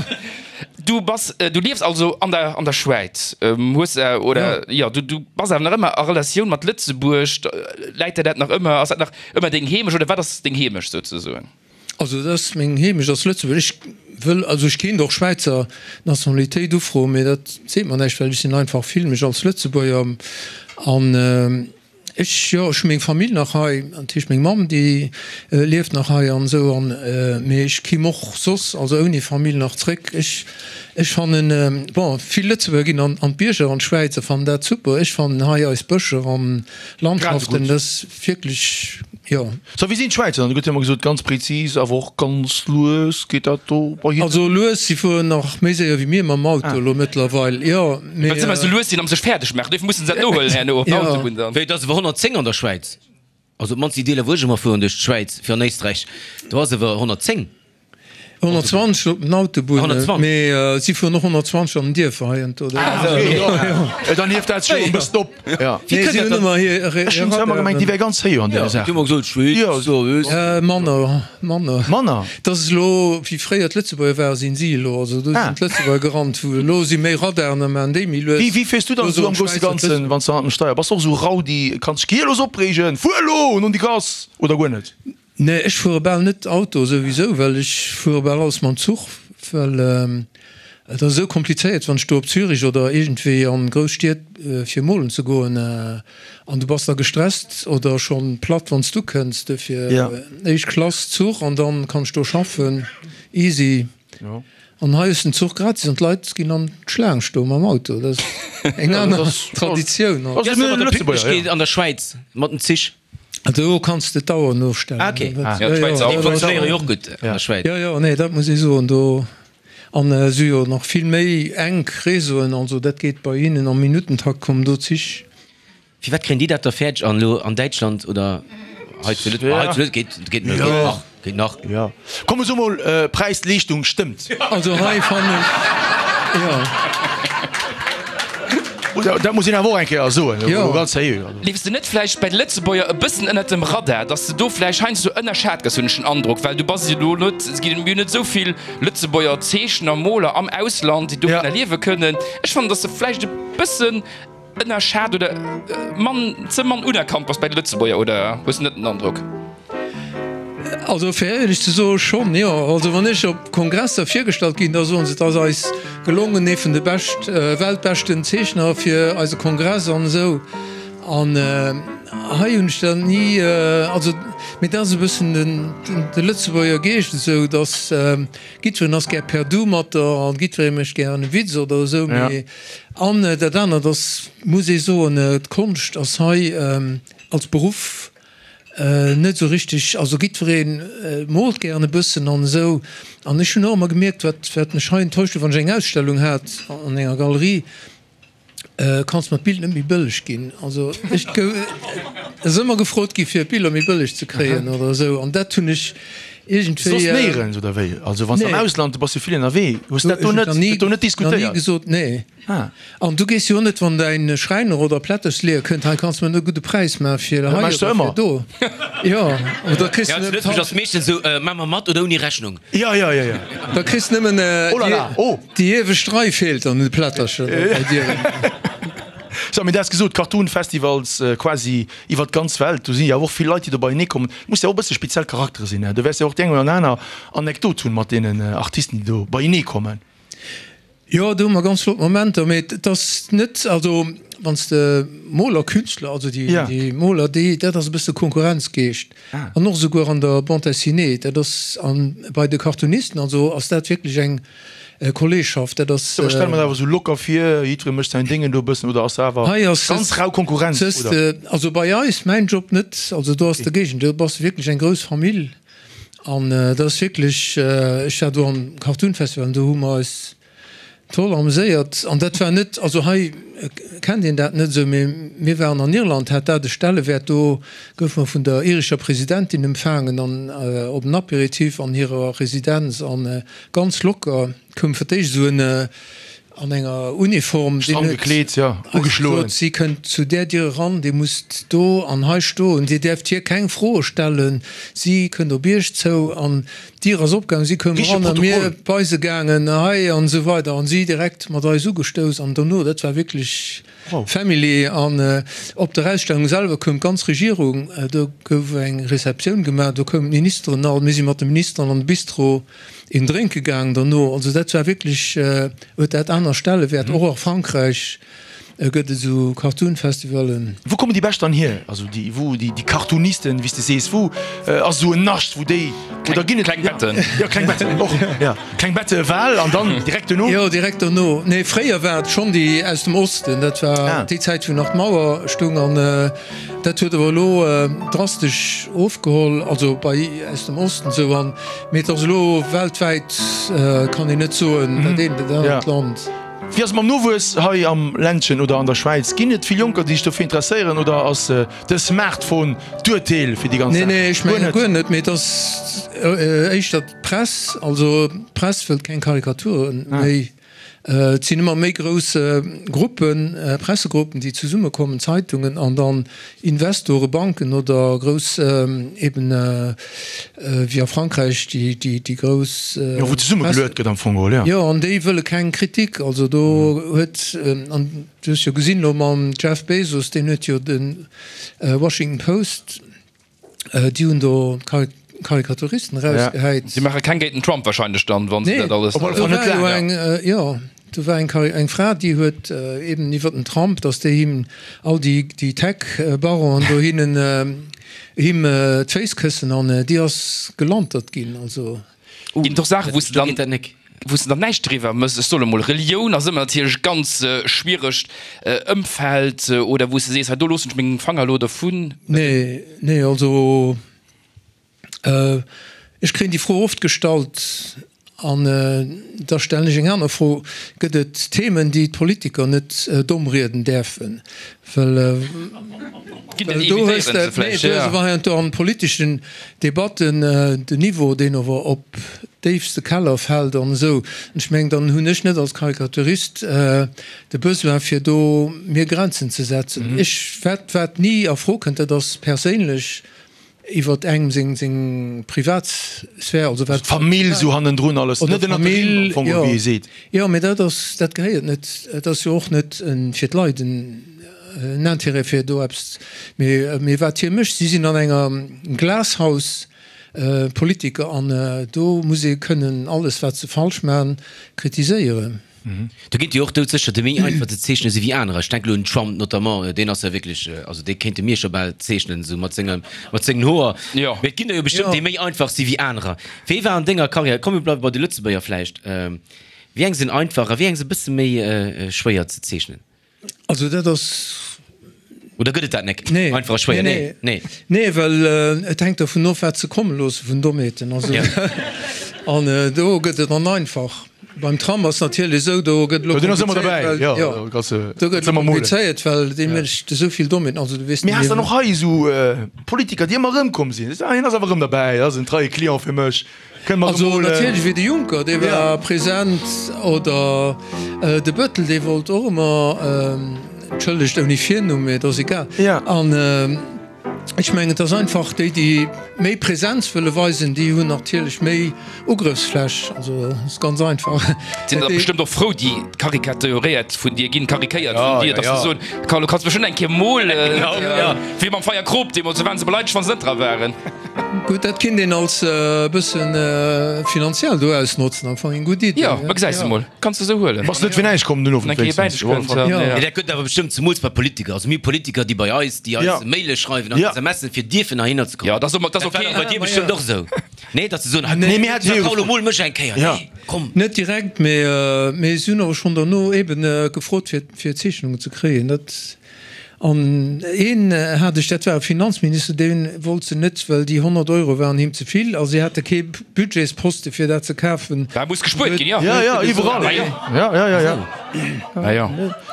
Du bass, du liefs also an der, an der Schwäiz, hues, oder, jo, du, du bass awer nach ëmmer a Relatioun mat Lëtzebuerg. Läit der dat nach ëmmer, ass dat nach ëmmer deng Heemecht oder wat ass deng Heemecht souzesoen? Also dat ass meng Heemecht ass Lëtzebuerg. Ech wëll, also ech kéint och Schwäizer Nationalitéit ufroen, mee dat seet mer näischt, well ech sinn einfach, fill mech als Lëtzebuerger an ech, jo, ech hu meng Famill nach hei, dat heescht meng Mamm déi lieft nach hei an esou an, mee ech kimm och soss, also ouni Famill nach zréck. Ech, ech fannen, bon, vill Lëtzebuerger ginn an an d'Bierger an d'Schwäiz a fannen dat super. Ech fannen hei eis Bëscher an Landschaften, dat ass wierklech. Jo. So, wéi sinn d'Schwäizer dann? Do gëtt jo ëmmer gesot, ganz präzis, awer och ganz lues geet dat do bei hinnen. Also lues, si fueren nach méi séier wéi mir mam Auto elo mëttlerweil, jo, mee. Well se ëmmer esou lues sinn am sech fäerdeg maachen, dofir mussen se dat nohuelen herno op der Autobunn dann. Wéi, et ass ewwer honnertzéng an der Schwäiz? Also op d'mannst déi Deeler wou ech ëmmer fueren duerch d'Schwäiz fir an Éisträich, do ass ewwer honnertzéng. honnertzwanzeg op den Autobunne, mee si fueren och honnertzwanzeg an den Dierfer hei an do. Dann hieft dat sech jo e bëssen op. Nee, si hunn ëmmer hir Ech hunn ëmmer gemengt, déi wär ganz héich an deene Saachen. Du hues gesot, Schwäiz, do hues. Manner, manner. Manner? Dat ass elo, wéi fréier d'Lëtzebuerger waren, sinn si elo. Also do sinn d'Lëtzebuerger gerannt, wou elo si méi Radaren a maachen déi méi lues. Wéi, wéi fiers du dann esou am grousse Ganzen, wann s de hannert dem Steier bass? Och esou rowdy, kanns dech gehierlos opreegen, fuer elo un déi Gass, oder guer net? Nee, ech fuere bal net Auto souwisou, well ech fuere bal alles mam Zuch, well et ass esou komplizéiert, wann ech do op Zürich oder iergendwéi an grouss Stied fir molen ze goen an du bass da gestresst oder schonn platt wann s du kënns. Dofir éischt Klass Zuch an dann kann ech do schaffen, easy. An hei ass den Zuch gratis an d'Leit ginn an d'Schlaang stoe mam Auto. Dat ass eng aner Traditioun. Wéi ass dat mat der Pünktlechkeet an der Schwäiz mat den Zich? Do kanns de d'Auer nostellen. Ah, okay. Ja, d'Schwäizer Déi funktionéiere jo och gutt an der Schwäiz. Jo, jo, nee, dat muss ee soen. Do, an si hu jo nach vill méi enk Réseauen, also dat geet bei hinnen am Minuttentakt, kommen do Zich. Firwat kréien déi dat da fäerdeg an elo an Däitschland oder hei zu Lëtzebuerg? Hei zu Lëtzebuerg geet, geet nach. Geet nach. Jo. Komm so mol, Präis-Leeschtung stëmmt. Also hei fannen ech, jo. Dat muss een awer och eng Kéier soen, elo ganz seriö. Leefs de net vläicht bei de Lëtzebuerger e bëssen ënnert dem Radar, dass de do vläicht heiansdo ënnerschat gëss, hunn ech den Androck, well du bass jo elo net, et ginn jo net esou vill Lëtzebuerger Zeechner, Moler am Ausland, déi dovunner liewe kënnen. Ech fannen, dass de vläicht e bëssen ënnerschat oder mann, ze mann unerkannt bass bei de Lëtzebuerger, oder hues de net den Androck? Also fir éierlech ze soe schonn, jo. Also wann ech op Kongresser virgestallt ginn, da soen se, et ass eis gelongen, ee vun de bescht, weltbeschten Zeechner fir eise Kongress an esou. An hei hunn ech dat ni, also mee dat ass e bëssen den de Lëtzebuerger Geescht esou, datt jiddwereen ass gär per du mat der an jiddweree mécht gären e Witz oder esou. Mee an dat anert ass, muss ee soen, d'Konscht ass hei als Beruff net esou richteg, also jiddweree moolt gären e bëssen an esou. An ech hunn och ëmmer gemierkt, wat, wat mech hei enttäuscht huet, wann ech eng Ausstellung hat an enger Galerie, kanns mer d'Bild net méi bëlleg ginn. Also ech gouf, et ass ëmmer gefrot gi fir d'Biller méi bëlleg ze kréien oder esou an dat hunn ech iergendwéi. Soss néierens oder wéi? Also wann s de am Ausland, du bass jo vill ënnerwee, hues dat do net, dat do net diskutéiert? Nach ni gesot, nee. An du gees jo och net, wann däin Schräiner oder Plättersleeër kënnt, hei kanns de mer e gudde Präis maachen fir hei oder fir do. Jo, oder kriss Ja, zu Lëtzebuerg ass meeschtens esou, Maa mer mat oder ouni Rechnung? Jo, jo, jo, jo. Da kriss de nëmmen déi iewescht Rei feelt an de Plättercher bei dir. Sou, mee du has gesot, Cartoon-Festivals quasi iwwer d'ganz Welt, do sinn jo awer och vill Leit, déi do beienee kommen. Muss jo och e bësse speziell Charaktere sinn, ne? Du wäers jo och déi eng oder aner Anekdot hunn mat deenen Artisten, déi do beienee kommen. Jo, do hu mer ganz flott Momenter, mee et ass net, also wann s de Moler, Künstler, also déi déi Moler, déi, dat ass e bësse Konkurrenzgeescht an och esouguer an der Bande dessinée, dat ass an bei de Cartoonisten, also ass dat wierklech eng Kolleegschaft, dat ass. Ech stelle mer dat awer esou locker vir, jiddweree mécht säin Déngen do e bëssen, oder ass dat awer ganz rau Konkurrenz, oder? Also bei eis, mäin Job net, also do ass de Géigendeel, do bass de wierklech eng grouss Famill an dat ass wierklech, ech war do am Cartoon Festival an do hu mer eis Toll ameséiert. An dat war net, also hei kennt een dat net esou, mee mir waren an Irland, hat dat e Stellewäert. Do goufe mer vun der irescher Presidentin empfaangen an op en Apéritif an hirer Residenz an ganz locker koum fir d'éischt esou en an enger Uniform, deen Stramm huet gekleet, jo, eis ugeschloen. gesot, si kënnt zu där Dier eran, dir musst do an hei stoen, dir däerft hir keng Froe stellen, si kënnt op iech zou. An D'Dier ass opgaangen, si koumen Richtege eran a mir Protokoll. bei se gaangen, hei an esou weider an si direkt mat eis ugestouss an dono, dat war wierklech Wow. Family. An op der Ausstellung selwer koum d'ganz Regierung, do gouf eng Receptioun gemaach, do koumen d'Ministeren all, mir si mat de Ministeren an de Bistro een drénke gaangen dono. Also dat war wierklech, huet dat aner Stellewäert, och a Frankräich. Gëtt et esou Cartoon-Festivalen? Wou kommen déi Bescht dann hier? Also déi, wou déi, déi Cartoonisten, wéi s de sees, wou ass esou en Nascht, wou déi, oder ginn et. Kleng Betten. Jo, kleng Betten och, jo. Kleng Bette Wahl an dann direkt dono? Jo, direkt dono. Nee, fréier war et schonn déi aus dem Osten. Dat war Ah. déi Zäit, wou nach d'Mauer stoung. An dat huet awer elo drastesch ofgeholl, also bei aus dem Osten esou. An, mee et ass elo weltwäit, kann een net soen, dat eent oder dat anert Land. Wéi ass et mam Nowuess hei am Ländchen oder an der Schwäiz? Ginn et vill Jonker, déi sech dofir interesséieren oder ass de Smartphone d'Urteel fir déi ganz Nee, Saach? nee, ech Guer menge net? guer net, mee et ass éischter d'Press. Also d'Press wëllt keng Karikaturen méi. Et sinn ëmmer méi grouss Gruppen, Pressegruppen, déi zesummekommen, Zeitungen an dann Investore, Banken oder grouss eben wéi a Frankräich déi grouss. Jo, wou zesummegeluet gëtt am Fong geholl, jo. Jo, an déi wëlle keng Kritik. Also do huet, an du hues jo gesinn elo mam Jeff Bezos, deen huet jo de Washington Post, déi hunn do Karikaturisten erausgehäit. Déi maache keng géint den Trump wahrscheinlech dann, wa se dat alles. Op alle Fall net laang, jo. Do war eng eng Fra, déi huet eben iwwer den Trump, datt déi him all déi déi Tech-Baronen do hinnen him d'Féiss këssen an déi ass gelantert ginn. Also. Ginn et och Saachen, wou s de dann, wou s de dann näischt driwwer mëss? Ech soen emol, Relioun ass ëmmer natierlech e ganz schwieregt Ëmfeld, oder wou s de sees, hei do loossen ech meng Fanger elo dovun. Nee, nee, also ech kréien déi Fro oft gestallt. An da stellen ech eng aner Fro, Gëtt et Themen, déi d'Politiker net domm rieden däerfen? Well do hues de, nee, do hues awer heiansdo an politeschen Debatten den Niveau, deen awer op déifste Keller fält an esou. An ech mengen, dann hunn ech net als Karikaturist de Besoin, fir do mir Grenzen ze setzen. Ech, wat, wat ni a Fro kënnt, dat ass perséinlech iwwert engem seng, seng Privatsphär, also wat. D'Famill esou hannendrun alles, net ënnert de Rimm am Fong, wéi ee seet. Jo, mee dat ass, dat gehéiert net, et ass jo och net fir d'Leit en Intérêt fir do eppes, mee, mee wat hie mécht, si sinn an enger Glashaus, Politiker, an do muss ee kënnen alles wat se falsch maachen kritiséieren. Do ginn et jo och doudsécher, déi méi einfach ze zeechne si wéi anerer. Ech denken elo un Trump notamment, deen ass jo wierklech, also dee kéinte mir scho bal zeechnen, esou mat senge, mat sengen Hoer. Mee et ginn der jo bestëmmt, déi méi einfach si wéi anerer. Wéi war an denger Karriär, komm mir bleiwe bei de Lëtzebuerger vläicht, wéi eng sinn einfach a wéi eng si e bësse méi schwéier ze zeechnen? Also dat ass. Oder gëtt et dat nek? Nee. Einfach a schwéier? Nee. Nee, nee. Well et hänkt dervun of, wat se komme loosse vun Dommheeten. Also, an do gëtt et dann einfach. Beim Tram ass natierlech esou, do gëtt elo komplizéiert, well, jo, do gëtt elo komplizéiert, well dee mécht esou vill Dommheeten. Also du weess net méi. Mee has dann och hei esou Politiker, déi ëmmer erëmkomm sinn? Ah, hien ass awer erëm derbäi, dat ass en treie Client fir mech. Also natierlech wéi de Juncker, dee war present, oder de Bëttel, dee wollt och ëmmer, entschëllegt ouni Virnumm, mee et ass egal. An ech mengen, et ass einfach, déi, déi méi Presenz wëlle weisen, déi hunn natierlech méi Ugrëffsfläch. Also et ass ganz einfach. Sinn der bestëmmt och frou, déi karikaturéiert vun dir ginn, karikéiert vun dir, datt se soen, Carlo, kanns mech schonn eng Kéier molen, wéi mam Feier Krop deemools, do waren se beleidegt, wann se net dra waren. Gutt, dat kinnt een als e bëssen finanziell do ausnotzen, am Fong eng gutt Iddi. Jo, ma gesäis de mol, kanns de esou huelen. Bass net fir näischt komm den Owend wéinstens. Mee dat gëtt awer bestëmmt zemools bei Politiker. Also mir hu Politiker, déi bei eis, déi eis Maile schreiwen an SMSen, fir dierfen heihinner ze kommen. Jo, dat ass ok. Dat war bei dir bestëmmt och esou, nee? Datt se soen, hei komm, Carlo, mol mech eng Kéier, nee, komm. Net direkt, mee si hunn awer schonn derno eben gefrot, fir Zeechnungen ze kréien. Dat. An een hat ech, dat war e Finanzminister, dee wollt se net, well déi honnert Euro waren him ze vill a si hate kee Budgetsposte fir dat ze kafen. Da muss gespuert ginn, jo. Jo, jo, iwwerall. Jo, jo, jo, jo. Jo.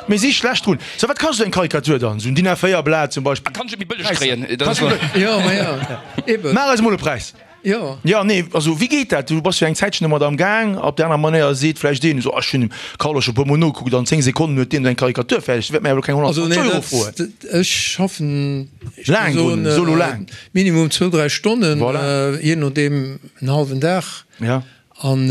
Mir si schlecht drun. So, wat kascht esou eng Karikatur dann? Esou en DIN A véier Blat zum Beispill? Kann ech et méi bëlleg kréien? Jo, ma jo, eben. Maach eis emol e Präis. Jo. Jo, nee, also wéi geet dat? Du bass jo eng Zäitchen domat am Gaang. Op där aner Manéier seet vläicht een esou, ah, ech hunn dem Carlo scho e puer Mol nogekuckt, an zéng Sekonnen huet deen do eng Karikatur fäerdeg, dee wäert mir awer elo keng Also nee, honnertzwanzeg Euro dat, froen. dat, ech schaffen, ech Laang géing drun, soen, solo laang. minimum zwou, dräi Stonnen, Voilà. jee nodeem en hallwen Dag. Ja. An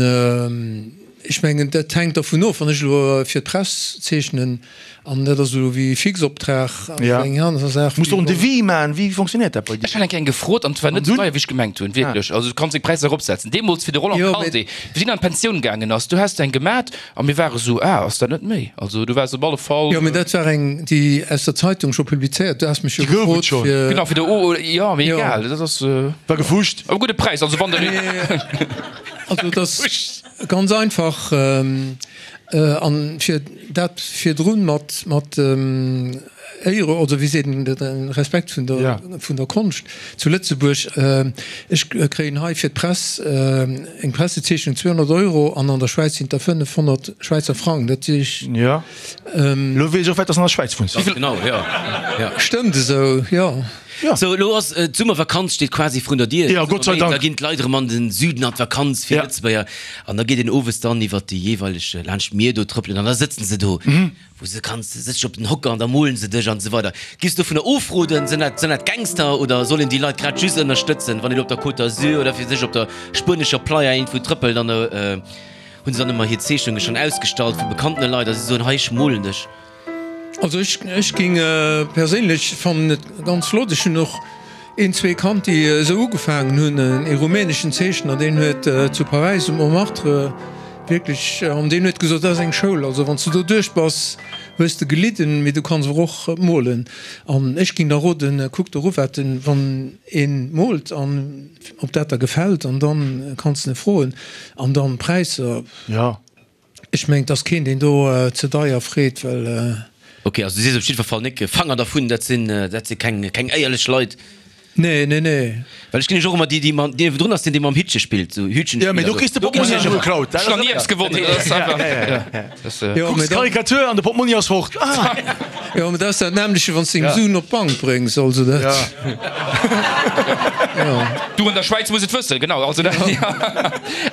ech mengen, dat hänkt dervun of, wann ech elo fir d'Press zeechnen, an dat ass elo wéi Fixoptrag, ass Ja. eng aner Saach Muss wéi och en wann. Devis maachen. Wéi fonctionnéiert dat bei dir? Ech hat eng Kéier eng gefrot an et war net esou deier, wéi ech gemengt hunn, wierklech. Also du kanns deng Präisser eropsetzen. Deemools fir de Roland Jo, mee. Kalté, wéi deen an d'Pensioun gaangen ass, du has de eng gemat a mir ware sou, ah, ass dat net méi? Also du waars op alle Fall. Jo, mee dat war eng, déi aus der Zeitung scho publizéiert. Du has mech jo Déi gouf et gefrot schonn. fir. Genau, fir de O, jo, mee Jo. egal, dat ass. War gefuscht. Awer gudde Präis, also wann der. Also et ass ganz einfach, an fir dat virdrun mat mat Éiere, oder wéi seet een dat, Respekt vun der vun der Konscht zu Lëtzebuerg, ech kréien hei fir d'Press eng Pressezeechnung zweehonnert Euro an an der Schwäiz sinn et der fënnefhonnert Schwäizer Frang. Dat heescht. Jo, elo weess ech och, wat dass an der Schwäiz wunns. Genau, jo. Stëmmt esou, jo. Sou, elo ass d'Summervakanz steet quasi vrun der Dier. Ja, Gott sei Dank. Da ginn d'Leit erëm an den Süden an d'Vakanz fir Lëtzebuerger. An da geet een owes dann iwwert déi jeeweileg laanscht d'Mier do trëppelen an da sëtzen se do, wou se kanns, sëtz dech op den Hocker an da molen se dech an esou weider. Giffs du dovunner ofroden? Sinn dat, sinn dat Gangster oder soll een déi Leit grad just ënnerstëtzen, wann een op der Côte d'Azur oder fir sech op der spuenescher Playa iergendwou trëppelt an da hunn se dann ëmmer hir Zeechnunge schonn ausgestallt vu bekannte Leit a si soen, hei ech molen dech. Also ech ech ging perséinlech fannen et ganz flott. Ech hunn och een zwee kannt déi esou ugefaangen hunn. Ee rumäneschen Zeechner deen huet zu Paräis um Montmartre wierklech an deen huet gesot dat ass eng Schoul, also wann s du do duerch bass hues de gelidden, mee du kanns awer och molen. An ech ging da roden, kuck der u wat en wann een moolt an ob dat der gefält an dann kanns de e froen an dann Präisser. Ech mengen, et ass keen, deen do ze deier freet, well. Ok, also du sees op jiddwer Fall, Nik, Fanger dervun, dat sinn, dat si keng, keng éierlech Leit. Nee, nee, nee. Well ech ginn ech och ëmmer déi, déi mam, deen virdrun ass, deen, dee mam Hittche spillt, sou Hütchen Ja, mee spillt, do kriss de Portmonni also. awer geklaut. Ech hunn nach ni eppes gewonnen. Dat ass einfach, ja, das, äh. Jo, Kucks mee dat, d'Karikatur an de Portmonni ass fort. Ah! jo, mee dat ass dat nämmleche, wann s de deng Suen op d'Bank bréngs, also dat. Ja. Jo. Du an der Schwäiz muss et wëssen, genau. Also dat, ja.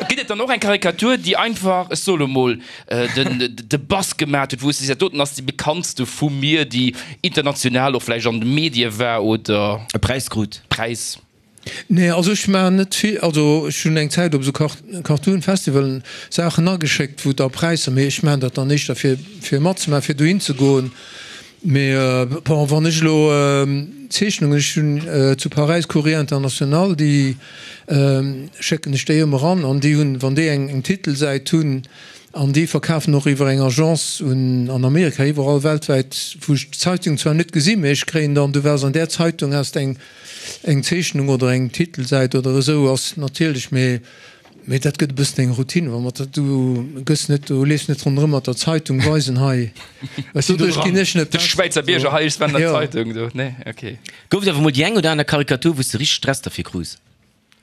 Gëtt et dann och eng Karikatur, déi einfach, ech soe lo mol, den, de Bass gemat huet, wou s de sees, dat doten ass déi bekanntste vu mir, déi international och vläicht an de Medie war oder. E Präis krut? Präis. Nee, also ech maachen net vill, also ech hunn eng Zäit op esou Cartoon-Festivalen Saachen ageschéckt, wou da Präisser, mee ech maachen dat dann éischter fir fir matzemaachen, fir dohin ze goen. Mee bon, wann ech elo Zeechnungen, ech hunn zu Paräis Courrier International, déi schécken ech déi ëmmer eran an déi hunn, wann déi eng eng Titelsäit hunn, an déi verkafen och iwwer eng Agence un an Amerika, iwwerall weltwäit, wou ech d'Zeitung zwar net gesinn, mee ech kréien dann, du waars an där Zeitung, has eng eng Zeechnung oder eng Titelsäit oder esou, ass natierlech, mee mee dat gëtt e bëssen eng Routine, wa mat der, du gëss net, du leefs net ronderëm mat der Zeitung weisen, hei, doduerch ginn ech net De besser. Schwäizer Bierger, hei, ech war an der Jo. Zeitung do, nee, okay. Gouf et awer mol déi eng oder aner Karikatur, wou s de richteg Stress derfir krus?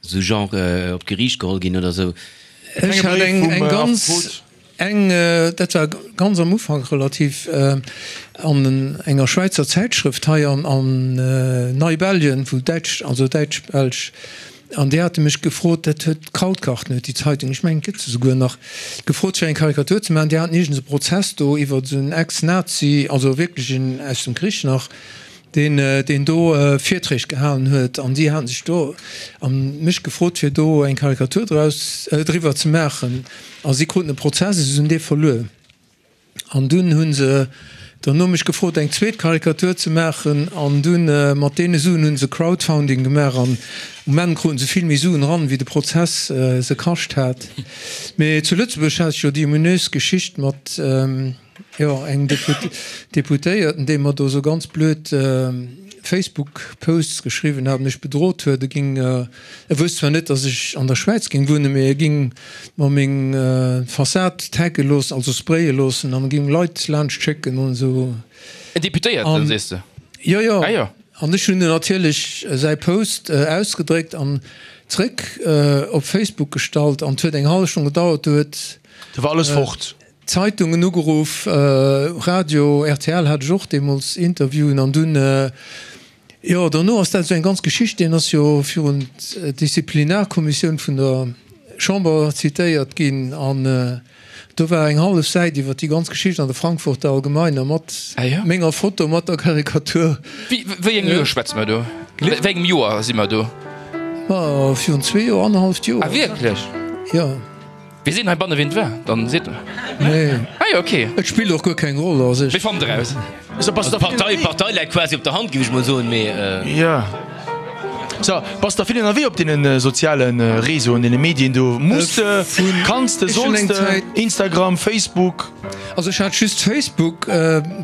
Sou genre op d'Geriicht geholl ginn oder sou? Ech hat eng eng ganz eng, dat war ganz am Ufank relativ, an enger Schwäizer Zäitschrëft hei an an Neibelgien, wou däitsch, also däitsch-belsch, an déi hate mech gefrot, dat huet Krautgarten huet déi Zeitung, ech mengen et gëtt se souguer nach, gefrot fir eng Karikatur ze maachen. Déi haten iergends e Prozess do iwwer esou en Ex-Nazi, also wierklech een aus dem Krich nach, deen deen do Virträg gehalen huet, an déi haten sech do a mech gefrot fir do eng Karikatur draus driwwer ze maachen, a si kruten e Prozess a si hunn dee verluer. An dunn hu se derno mech gefrot eng zweet Karikatur ze maachen, an dunn mat deene Suen hu se Crowdfounding gemaach, an um Enn kruten se vill méi Suen eran wéi de Prozess se kascht hat. Mee zu Lëtzebuerg hat ech jo déi ominös Geschicht mat. Jo, engem Deputéierten, dee mer do sou ganz blöd Facebook-Posts geschriwwen hat, mech bedrot huet, e ging, e wousst zwar net, datt ech an der Schwäiz ging wunnen, mee e ging mer meng Fassad tagge loossen, also spraye loossen, an e ging Leit laanscht schécken an esou. En Deputéierten, sees de? Jo, jo. Ah jo. An ech hunn natierlech säi Post ausgedréckt an zréck op Facebook gestallt, an et huet eng hallef Stonn gedauert, do huet. Do war alles fort. Zeitungen ugeruff, Radio, rtl hat ech och deemools Interviewen an dunn, jo derno ass dat esou eng ganz Geschicht, deen ass jo virun d'Disziplinarkommissioun vun der Chamber zitéiert ginn an do war eng hallef Säit iwwer déi ganz Geschicht an der Frankfurter Allgemeiner mat menger Foto, mat der Karikatur. Wéi engem Joer schwätze mer do? Wéi engem Joer si mer do? Ma virun zwee Joer, annerhalleft Joer. Ah wierklech? Jo. Mir sinn heibanne wien et war, dann seet mer. Nee. Ah jo, ok. Et spillt och guer keng Roll a sech. Mir fannen eraus. Also d'Partei, d'Partei läit quasi op der Hand, géif ech mol soen, mee. Jo. So, bass der vill ënnerwee op deene soziale Réseauen, deene Medien do? Muss de, kanns de, solls de, Instagram, Facebook? Also ech hat just Facebook.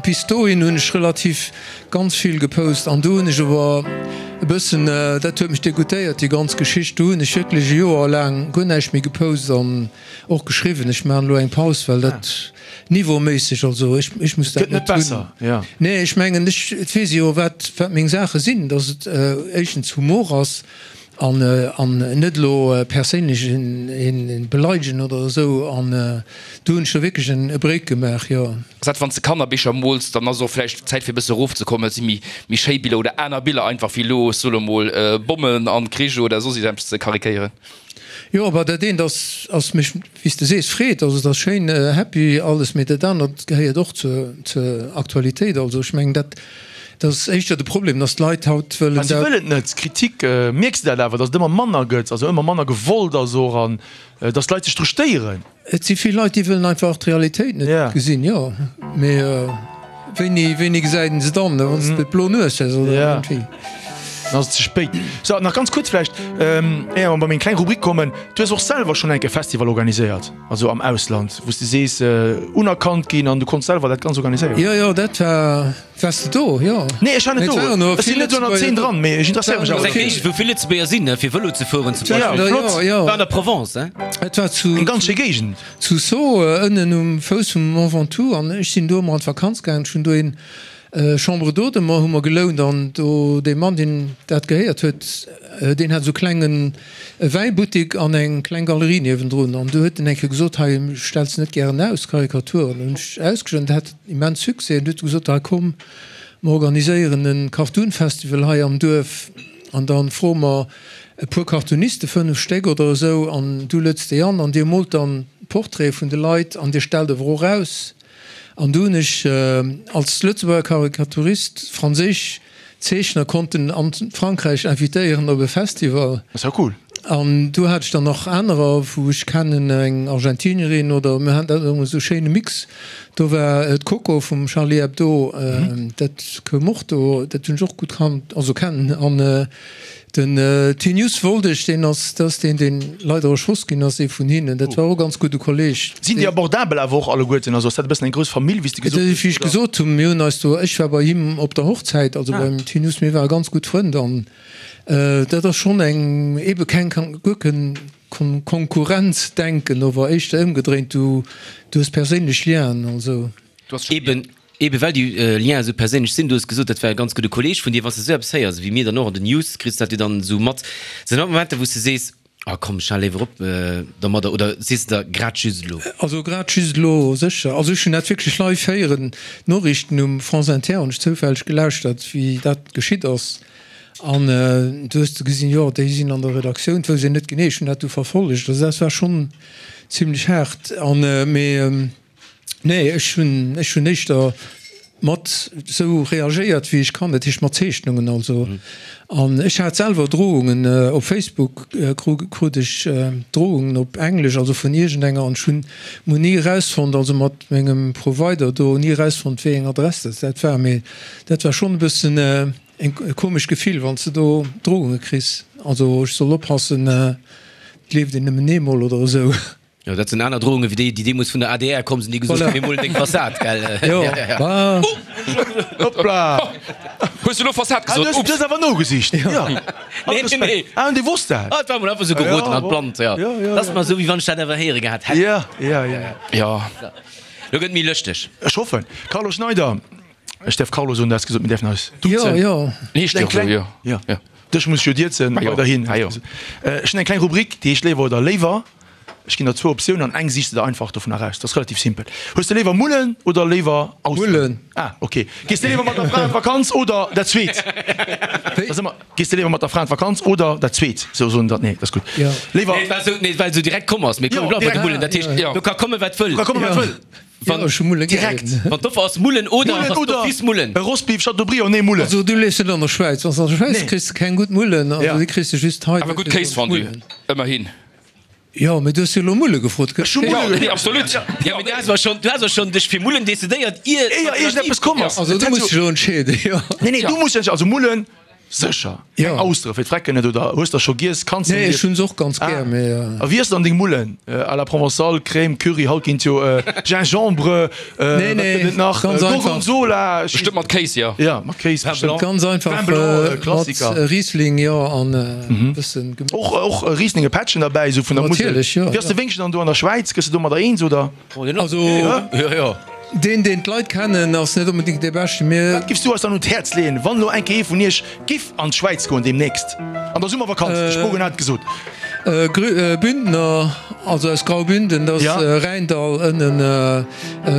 Bis dohin hunn ech relativ ganz vill gepost an do hunn ech awer e bëssen, dat huet mech degoutéiert déi ganz Geschicht, do hunn ech wierklech e Joer laang guer näischt méi gepost an och geschriwwen. Ech maachen elo eng Paus, well dat niveauméisseg, also ech ech muss dat Gëtt net net hunn. besser, jo. Nee, ech mengen ech, et weess ee jo wat wat meng Saache sinn, datt et éischtens Humor ass an an net elo perséinlech een een beleidegen oder esou an do hunn ech da wierklech en e Break gemaach, jo. Ass dat wann s de Kannerbicher mools, dann ass och vläicht Zäit fir e bësse erofzekommen, et si méi méi schéi Biller oder aner Biller einfach wéi elo, ech soe mol, Bommen an Krich oder soss eppes ze karikéieren. Jo, awer dat eent ass ass mech, wéi s de sees, Freed, also et ass schéin happy alles, mee dat anert gehéiert och zur zur Aktualitéit. Also ech mengen dat Dat ass éischter de Problem, dass d'Leit haut wëllen Ah, si dat. wëllen et net. Kritik, mierks de dat awer, dass et ëmmer manner gëtt, also ëmmer manner gewollt ass och an dass d'Leit sech dru stéieren? Et si vill Leit, déi wëllen einfach d'Realitéit net Ja. gesinn, jo. Mee wéini, wéini gesäit een se dann, wann s de d'blo Nues hues oder Ja. iergendwéi? Dann ass et ze spéit. So, nach ganz kuerz vläicht, éier mer bei meng kleng Rubrik kommen, Du hues och selwer schonn enk e Festival organiséiert, also am Ausland, wou s de sees, unerkannt ginn an du konns selwer dat Ganzt organiséieren. Jo, jo, dat war. Waars de do? Jo. Nee, ech war net Mee do. et waren awer Ech sinn vill net do an der Zeen Lëtzebuerger dran, do. mee ech interesséiere mech Ass awer eng dofir. Géigend, wou vill Lëtzebuerger sinn, ne, fir Vëlo ze fueren zum Ja, Beispill. flott. Jo, jo. War an der Provence, hein? Et war zu, Eng ganz schéi Géigend. zu Sceaux, ënnen um Fouss vum Mont Ventoux an ech sinn do ëmmer an d'Vakanz gaangen. Ech hunn do een Chambre d'hôte mer hu mer gelount an do dee Mann, deen dat gehéiert huet, deen hat esou klengen Wäibuttik an eng kleng Galerie niewendrun an du huet en eng Kéier gesot, hei stells de net gären aus, Karikaturen? Hunn ech ausgestallt, dat hat immens Succès an du huet e gesot, hei komm mer organiséieren e Cartoon-Festival hei am Duerf an da froe mer e puer Cartooniste, fënnef Stéck oder esou, an du lueds déi an an dir moolt dann Portraite vun de Leit an dir stellt awer och aus. An du hunn ech als Lëtzebuerger Karikaturist franséisch Zeechner konnten an Frankräich invitéieren op e Festival. Dat ass jo cool. An du hat ech dann nach anerer, wou ech kennen, eng Argentinierin oder mir haten dat ëmmer esou schéine Mix. Do war d'Coco vum Charlie Hebdo, dat koum och do, dat hunn ech och gutt kannt, also kennen. An Den Tinius Woldeg, deen ass, dat ass deen, deen leider erschoss ginn ass, ee vun hinnen. Dat war och e ganz gudde Kolleg. Sinn déi abordabel awer och alleguerten? Also ass dat e bëssen eng grouss Famill, wéi s de gesot hues, Wéi ech gesot hunn, mir hunn eis do, ech war bei him op der Hochzäit, also beim Tinius, mir ware ganz gutt Frënn an dat ass schonn eng, ebe keng, guer keng Konkurrenzdenken, ower éischter ëmgedréint, du hues perséinlech Lienen, also. Eben, Eben well déi Lienen esou perséinlech sinn, du hues gesot, dat war e ganz gudde Kolleeg vun dir, wann s de esou eppes héiers, wéi mir dann och an den News, kriss dat jo dann esou mat, sinn dat Momenter, wou s de sees, ah komm, ech hale léiwer op domadder, oder sees de der, grad just elo? Also grad just elo sécher. Also ech hunn dat wierklech live héieren, d'Noriichten um France Inter hunn ech zoufälleg gelauschtert, wéi dat geschitt ass, an du hues du gesinn, jo déi sinn an der Redaktioun, et wousst een net genee, ech hunn dat du verfollegt, also dat war schonn zimlech haart, an mee. Nee, ech hunn, ech hunn éischter mat esou reagéiert wéi ech kann, dat heescht mat Zeechnungen also. An ech hat selwer Drohungen op Facebook, krut ech Drohungen op Englesch, also vun iergendenger, an ech hunn mol ni erausfonnt, also mat mengem Provider do, ni erausfonnt wéi eng Adress dat dat war. Mee dat war schonn e bëssen e komescht Gefill, wann s de do Drohunge kriss, also ech soll oppassen, et leeft een nëmmen eemol oder esou. Jo, dat sinn aner Drohungen wéi déi, déi deemools vun der adr komm sinn, déi gesot hunn, mir molen deng Fassad, gell? Jo, bah. Hoppla! Hues du elo Fassad Ah, gesot? du hues, du hues awer nogesicht. Jo. Nee, nee, nee. Ah, an dee wosst dat? Ah, et war mol einfach sou geroden Ja, an d'Blannt, jo. Ja, ja, Dat ass mer esou, wéi wann ech dat awer héiere gehat hätt. Ja, ja, ja, ja. Jo. Lo gëtt et méi lëschteg. Ech hoffen. Carlo Schneider, ech däerf Carlo soen, du has gesot, mir däerfen eis Jo, duzen. jo. Nee, ech Eng däerf elo, kleng, jo. ja. Jo. Dech muss ech jo dierzen, Ah jo, weiderhin. ah jo. Ech hunn eng kleng Rubrik, déi heescht Léiwer oder léiwer. Ech ginn der zwou Optiounen an eng sichs de der einfach dovun eraus. Dat ass relativ simpel. Hues de léiwer Mullen oder léiwer Austeren? Mullen. Ah, ok. Gees de léiwer mat der Fra an d'Vakanz oder dat zweet? Wéi? Dat ass ëmmer, Gees de léiwer mat der Fra an d'Vakanz oder dat zweet? Sou soen dat, nee, dat ass gutt. Jo. Léiwer. Nee, et war sou, nee, well et sou direkt komm ass. Mir Jo, kommen bleiwe bei de direkt. Mullen. Dat heescht, Jo. do ka komme wat wëll. Do ka komme wat wëll. Wann, Jo, ech hu Mulle gär. Direkt. Wann d'Offer ass Mullen oder, Mullen ass oder d'office Mullen. e Rostbeef Chateaubriand, nee, Mullen. Also du liefs net an der Schwäiz. Wann s de an der Schwäiz Nee. kriss de keng gutt Mullen, also Ja. déi kriss de just hei. Awer gutt Kéisfondue, ëmmerhin. Jo, mee du hues jo elo Mulle gefrot. Ech hu Mulle Ja, nee, absolut. Ja, mee du has awer schonn, du has awer schonn dech fir Mullen decidéiert, ier Éier iergendeppes komm ass. Also du muss dech elo entscheeden, jo. Nee, nee, du muss dech, also Mullen, sécher. Keng Jo. Austere fir d'Frecken net, oder hues der scho giess? Kanns de Nee, ech iessen? hunn se och ganz gär, mee. A wéi iess de dann deng Mullen? À la provençale, Crème, Curry, haut ginn et jo Gingembre, Nee, wat nee, gëtt et nach? ganz einfach. Gorgonzola. Bestëmmt mat Kéis, jo. Ja, mat Kéis bestimmt. Ganz einfach Vin blanc, mat Klassiker. Riesling, jo, an e bëssen Gemüse. Och, och Riesling e Pättchen derbäi, esou vun der Musel. Natierlech, jo. Wéi ass de Wéngchen dann do an der Schwäiz? Gëss de domadder eens, oder? Also, Jo, jo. deen, deen d'Leit kennen, ass net onbedéngt dee beschten. Mir. Wat giffs du eis dann un d'Häerz leeën, wann elo eng Kéier ee vun iech giff an d'Schwäiz goen deemnächst an der Summervakanz? De Spogen hat et gesot. Bündner, also aus Graubünden, dat ass Rhäindall ënnen,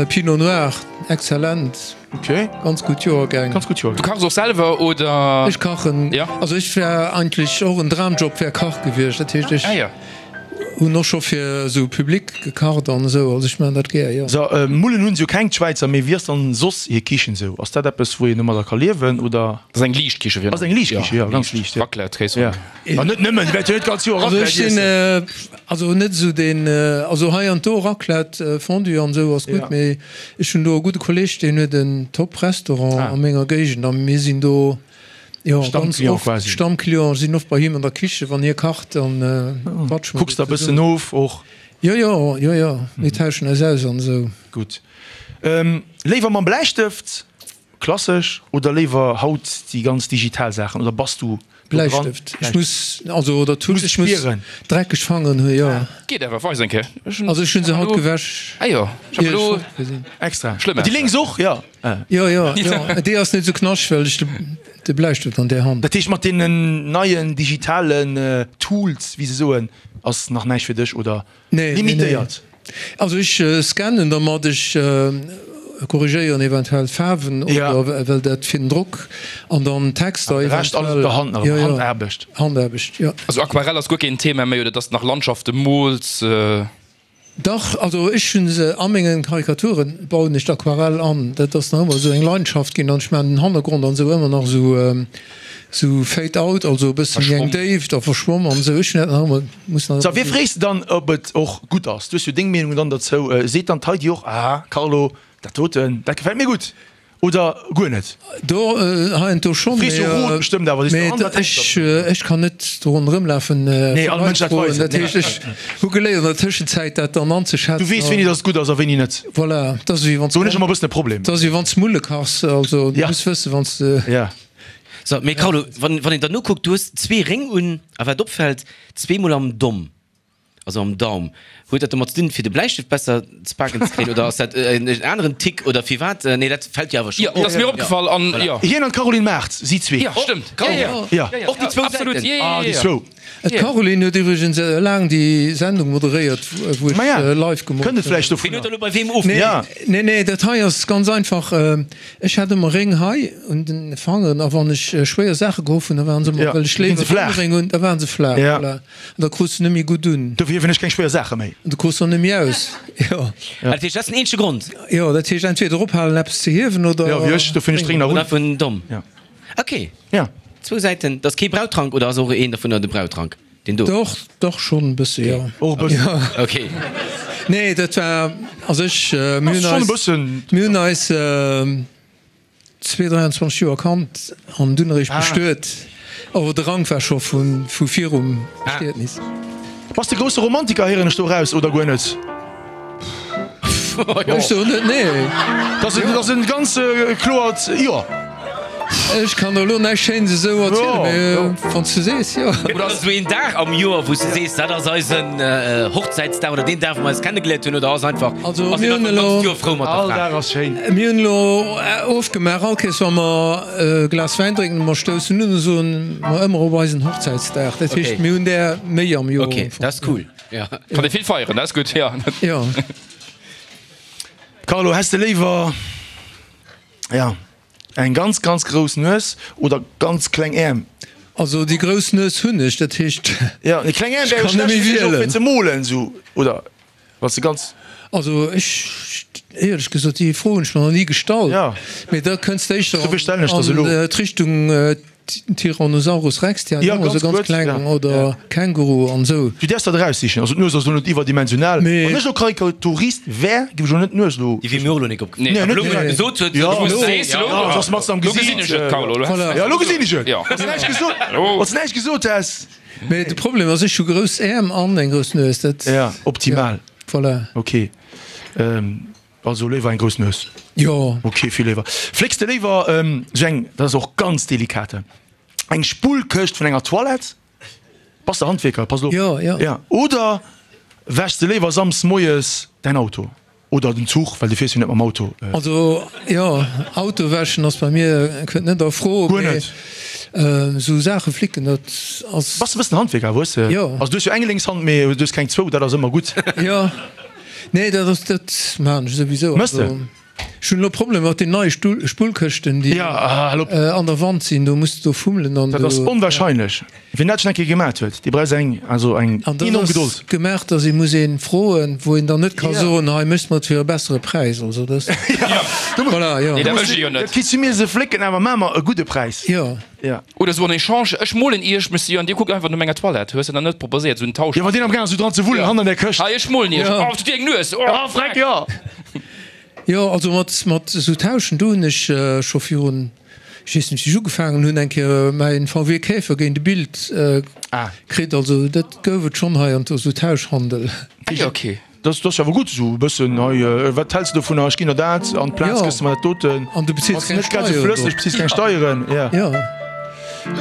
Pinot Noir, exzellent. Ok. Ganz gutt Joergäng. Ganz gutt Joergäng. Du kachs och selwer, oder? Ech kachen. Ja. Also ech wär eigentlech och en Dramjob wär Kach gewiescht. Dat heescht ech Ah ja. hunn och scho fir esou Public gekacht an esou. Also ech maachen dat gär, jo. So, Mullen hunn se jo keng, d'Schwäizer, mee wéi ass dann soss hir Kichen esou? Ass dat eppes wou een domadder ka liewen, oder? Dat ass eng liicht Kiche virun Ass eng liicht Kiche, jo, ganz liicht, jo. Raclette, Kéis. Ja. Ma net nëmmen, déi wäerte jo net d'ganz Joer Also Raclette ech sinn iessen. also net esou deen, also hei an do Raclette, Fondue an esou ass gutt, Ja. mee ech hunn do e gudde Kolleg, deen huet en Top-Restaurant Ah. a menger Géigend a mir sinn do jo ganz Stammclient oft quasi. Stammclient, sinn oft bei him an der Kiche wann hie kacht, dann quatsche mer Kucks do der bëssen zesummen. of och? Jo, jo, jo, jo, mir tauschen eis aus an esou. Gutt. Léiwer mam Bläistëft Klassesch oder léiwer haut déi ganz digital Saachen oder bass du do dran? Bläistëft. Ech muss, also oder Tusch, Muss ech muss spieren. dreckeg Fangeren hunn, jo. Geet awer, weis eng Kéier. Ech hunn Also ech hunn se haut gewäsch, Ah jo, ech hab ier ech elo fort sinn. Extra. Schlëmm Déi lénks och, jo. Jo, jo, jo. Déi ass net esou knascht, well ech de de Bläistëft an där Hand. Dat heescht mat deenen neien digitalen Tools, wéi se soen, ass nach näischt fir dech oder Nee, nee, nee. limitéiert? Also ech scannen dermat, ech korrigéieren eventuell d'Faarwen oder well dat fir den Drock an dann Texter De Rescht alles op der Hand nach ëmmer, Handaarbecht. Handaarbecht, jo. Also Aquarell ass guer keen Thema méi oder dass de nach Landschafte mools? Dach, also ech hunn se a mengen Karikaturen bauen ech d'Aquarell an. Dat ass nach ëmmer esou eng Leidenschaft ginn an ech maachen den Hannergrond an esou ëmmer nach esou esou fade out, also e bëssen wéi eng Déift a verschwomm an esou. Ech hunn dat nach ëmmer, muss nach So, ëmmer wie frees de dann, ob et och gutt ass? Du hues jo deng Meenung dann derzou. Seet dann d'Heidi och, Ah, Carlo, dat doten, dat gefält mir gutt, oder guer net? Do, heiansdo schonn, Frees jo Rot bestëmmt awer, sees mee du, an dat ech, ech kann net do ronderëmlafen Nee, fir all Leit Mënsch dat froen. weisen. Dat heescht, ech hu geléiert an der Tëschenzäit dat dann anzeschätzen. Du weess, wéini dass et gutt ass a wéini net. Voilà, dat ass wéi wann s Do hunn ech ëmmer e bëssen e Problem. dat ass wéi wann s Mulle kachs, also du Ja. muss wëssen, wann s de. Ja. So, mee Carlo, wann, wann een der nokuckt, du hues zwee Réng un, a wat opfält, zweemol am Domm. Also am Daum. Huet dat domat ze dinn, fir de Bläistëft besser ze paken ze kréien, oder ass dat en aneren Tick, oder firwat? Nee, dat fält jo awer schonn Jo, dat ass mir opgefall an jo. Hien an d'Caroline Mart, si zwee. Jo, stëmmt. Jo, jo. Ja. Och déi zwou Absolut, Säiten. jo, jo, Ah, déi jo. zwou. D'Caroline huet iwwregens laang déi Sendung moderéiert, wou ech Maja, live gemoolt kënnt et hunn. vläicht Wien dovunner? huet elo bei weem of? Nee, Ja. nee, nee, dat hei ass ganz einfach. Ech hat ëmmer Réng hei un den Fangeren a wann ech schwéier Saache gehoff hunn, da waren se ëmmer, Ja, well ech ginn léiwer se flaach. Fingerréng hunn, da waren se flaach. Ja. Voilà. An da krus de net méi gutt un. Dofir hiewen ech keng schwéier Saache méi. An du krus se och net méi aus. Jo. Dat heescht, dat ass den eenzege Grond? Jo, dat heescht entweder ophalen eppes ze hiewen oder. Jo, wéi ech, dofir hunn ech d'Réng nach un. Oder vun Domm. Ja. Ok. Ja. Zwou Säiten, dat ass kee Brautrank oder ass och een dovunner de Brautrank? Deen do? Doch, doch schonn e bësse, jo. Och e bëssen. Jo. Ok. Nee, dat war, also ech, mir hunn Ass schonn e eis, bëssen. mir hunn eis zwee, dräianzwanzeg Joer kannt an dunn eréischt bestuet. Awer de Rank war scho vu vu virum Bestietnis. Bass de grousse Romantiker, héieren ech do eraus, oder guer net? Ech soen net nee. Dat ass e ganz kloert Jo. Ech kann der elo näischt Schéines esou erzielen, mee wann s du sees, jo. Oder ass esou een Dag am Joer, wou s de sees, dat ass eisen Hochzäitsdag oder deen Dag, wou mer eis kennegeléiert hunn, oder ass einfach, Also ass mir een hunn einfach elo, d'ganzt Joer frou mat der All Fra? Dag ass schéin. Mir hunn elo ofgemaach, all Kéiers wa mer e Glas Wäin drénken, mer stoussen un a soen mer ëmmer op eisen Hochzäitsdag. Dat heescht, mir hunn där méi am Joer. Ok, dat ass cool, jo. Kann ee vill feieren, dat ass gutt, jo. Jo. Carlo, häss de léiwer, ja, eng ganz, ganz grouss Nues oder ganz kleng Äerm? Also déi grouss Nues hunn ech, dat heescht, Ja, déi kleng Äerm ech wäre kann net schlecht méi fir dech och fir wielen. ze molen, sou, oder? Wann s de ganz. Also ech, éierlech gesot, déi Fro hunn ech mer nach ni gestallt. Ja. Mee da kënns de éischter Dofir stellen ech der se an elo. d'Richtung Tyrannosaurus Rex, déi Ja, hat och ganz esou ganz kuerz, kleng, ja. oder Känguru an esou. Du däerfs dat eraussichen. Also d'Nues ass elo net iwwerdimensional. Mee. Wann ech elo Karikaturist wär, géif ech elo net d'Nues elo. Déi wier mir och elo nik opgefall. Nee, Awer elo, net wou en direkt. gesot huet, Ja, elo elo. Sees elo? Ja, ass matzen am Lo Gesiit. gesinn ech et, Carlo. Lo Voilà. Ja, elo gesinn ech et. Ja. Wann s näischt gesot, wann s näischt gesot häss. Mee de Problem ass, ech hu grouss Äerm an eng grouss Nues. Dat. Ja, optimal. Ja, voilà. Ok. Also léiwer eng grouss Nues. Jo. Ok, vill léiwer. Flécks de léiwer esou eng, dat ass och ganz delikate, eng Spullkëscht vun enger Toilette? Bass de Handwierker? Pass elo op. Jo, jo. Ja. Oder wäschs de léiwer samsdes moies däin Auto? Oder den Zuch, well du fiers jo net mam Auto. Also jo, Auto wäschen ass bei mir, kënnt net a Fro. Guer net? Esou Saache flicken, dat ass. Bass de e bëssen Handwierker, hues de? Jo. Also du hues jo eng lénks Hand, mee du hues keng zwou, dat ass ëmmer gutt. Jo. Nee, dat ass, dat maachen ech souwisou. Mëss de? Also, ech hunn elo Problemer mat den neie Stull, Spullkëschten, déi Ja, hal op. an der Wand sinn. Do muss de do fummelen an Dat ass do. onwahrscheinlech. Wien dat schonn eng Kéier gemat huet, dee brauch eng, also eng An dat enorm ass Gedold. gemaach, dass ee muss een froen, wou een dann net ka Ja. soen, hei méchs mer et fir e bessere Präis. Also dat, Du muss, voilà, jo. Nee, dat wëll ech jo net. Dat kriss du mir se flécken, awer maa mer e gudde Präis. Jo. Ja. Oder sou en Echange, ech molen iech, Monsieur, an dir kuckt einfach no menger Toilette. Hues de dann net proposéiert, sou en Tausch? Jo, wann deen am gaang ass, sou dran ze wullen, Ja. hannen an der Këscht. Hei, ech molen iech. Ja. Oh, tut dir eng Nues. Oh, Ah, freck, jo. Jo, also mat, mat esou Tauschen, do hunn ech scho virun, ech weess net, wéi ech ugefaangen hunn, eng Kéier mäin V W Käfer géint e Bild kritt. Also dat gouf et schonn hei an do, esou Tauschhandel. Ah jo, okay. Dat ass jo awer gutt esou e bëssen hei. Wat häls de dovunner? Ech ginn der dat an d'Plaz kriss de mer dat doten. An du bezils keng Net grad esou Steieren flësseg, drop. bezils keng Steieren, ja. Ja.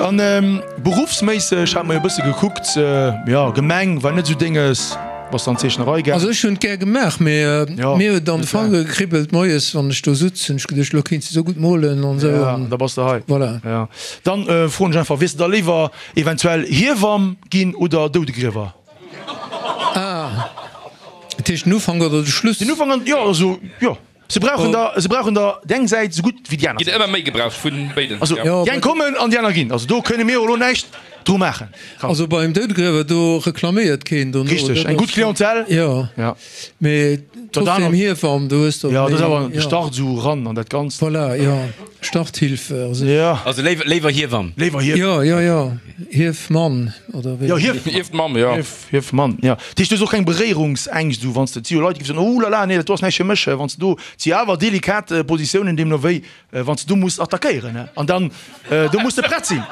An beruffsméisseg hate mer jo e bësse gekuckt, jo, Gemeng war net esou Dénges, bass de an d'Zeechnerei gaang? Also ech hunn et gär gemaach, mee mir huet an de Fanger gekribbelt moies wann ech do sutz, hunn ech geduecht, elo kéints de esou gutt molen an esou. Ja, da bass de hei. Voilà. Ja. Dann froen ech einfach, wiers de da léiwer eventuell Hiewamm ginn oder Doudegriewer? Ah, dat heescht den Ufank oder de Schluss? Den Ufank an, jo, also, jo. Se brauchen der, se brauchen der déi eng Säit esou gutt wéi déi aner Ginn Säit. ëmmer méi gebraucht vun béiden. Also, Jo, déi eng kommen an déi aner ginn. Also do kënne mir jo elo näischt dru maachen. Also beim Doudegriewer, do reklaméiert keen dono. Richteg, Dat eng gutt ass- Clientèle. Jo, Ja. mee trotzdem aner- Hiewamm, do hues de Ja, dat ass méi, awer de ja. Start esou ran an dat Ganzt. Voilà, jo, Starthilfe. Also. Ja. Also léiwer, léiwer Hiewamm. Léiwer Hief. Jo, jo, jo, Hiefmann oder wéi? Jo, Hief. Hiefmamm, jo. Hief, Hiefmann, ja. Dat heescht, du hues och keng Beréierungsängscht, esou wann s de, et si jo Leit, déi géife soen, oh la la, nee, dat do ass näischt fir mech, wann s de do, et si awer delikat Positiounen, deemno wéi, wann s de do muss attackéieren, ne, an dann, do muss de prett sinn.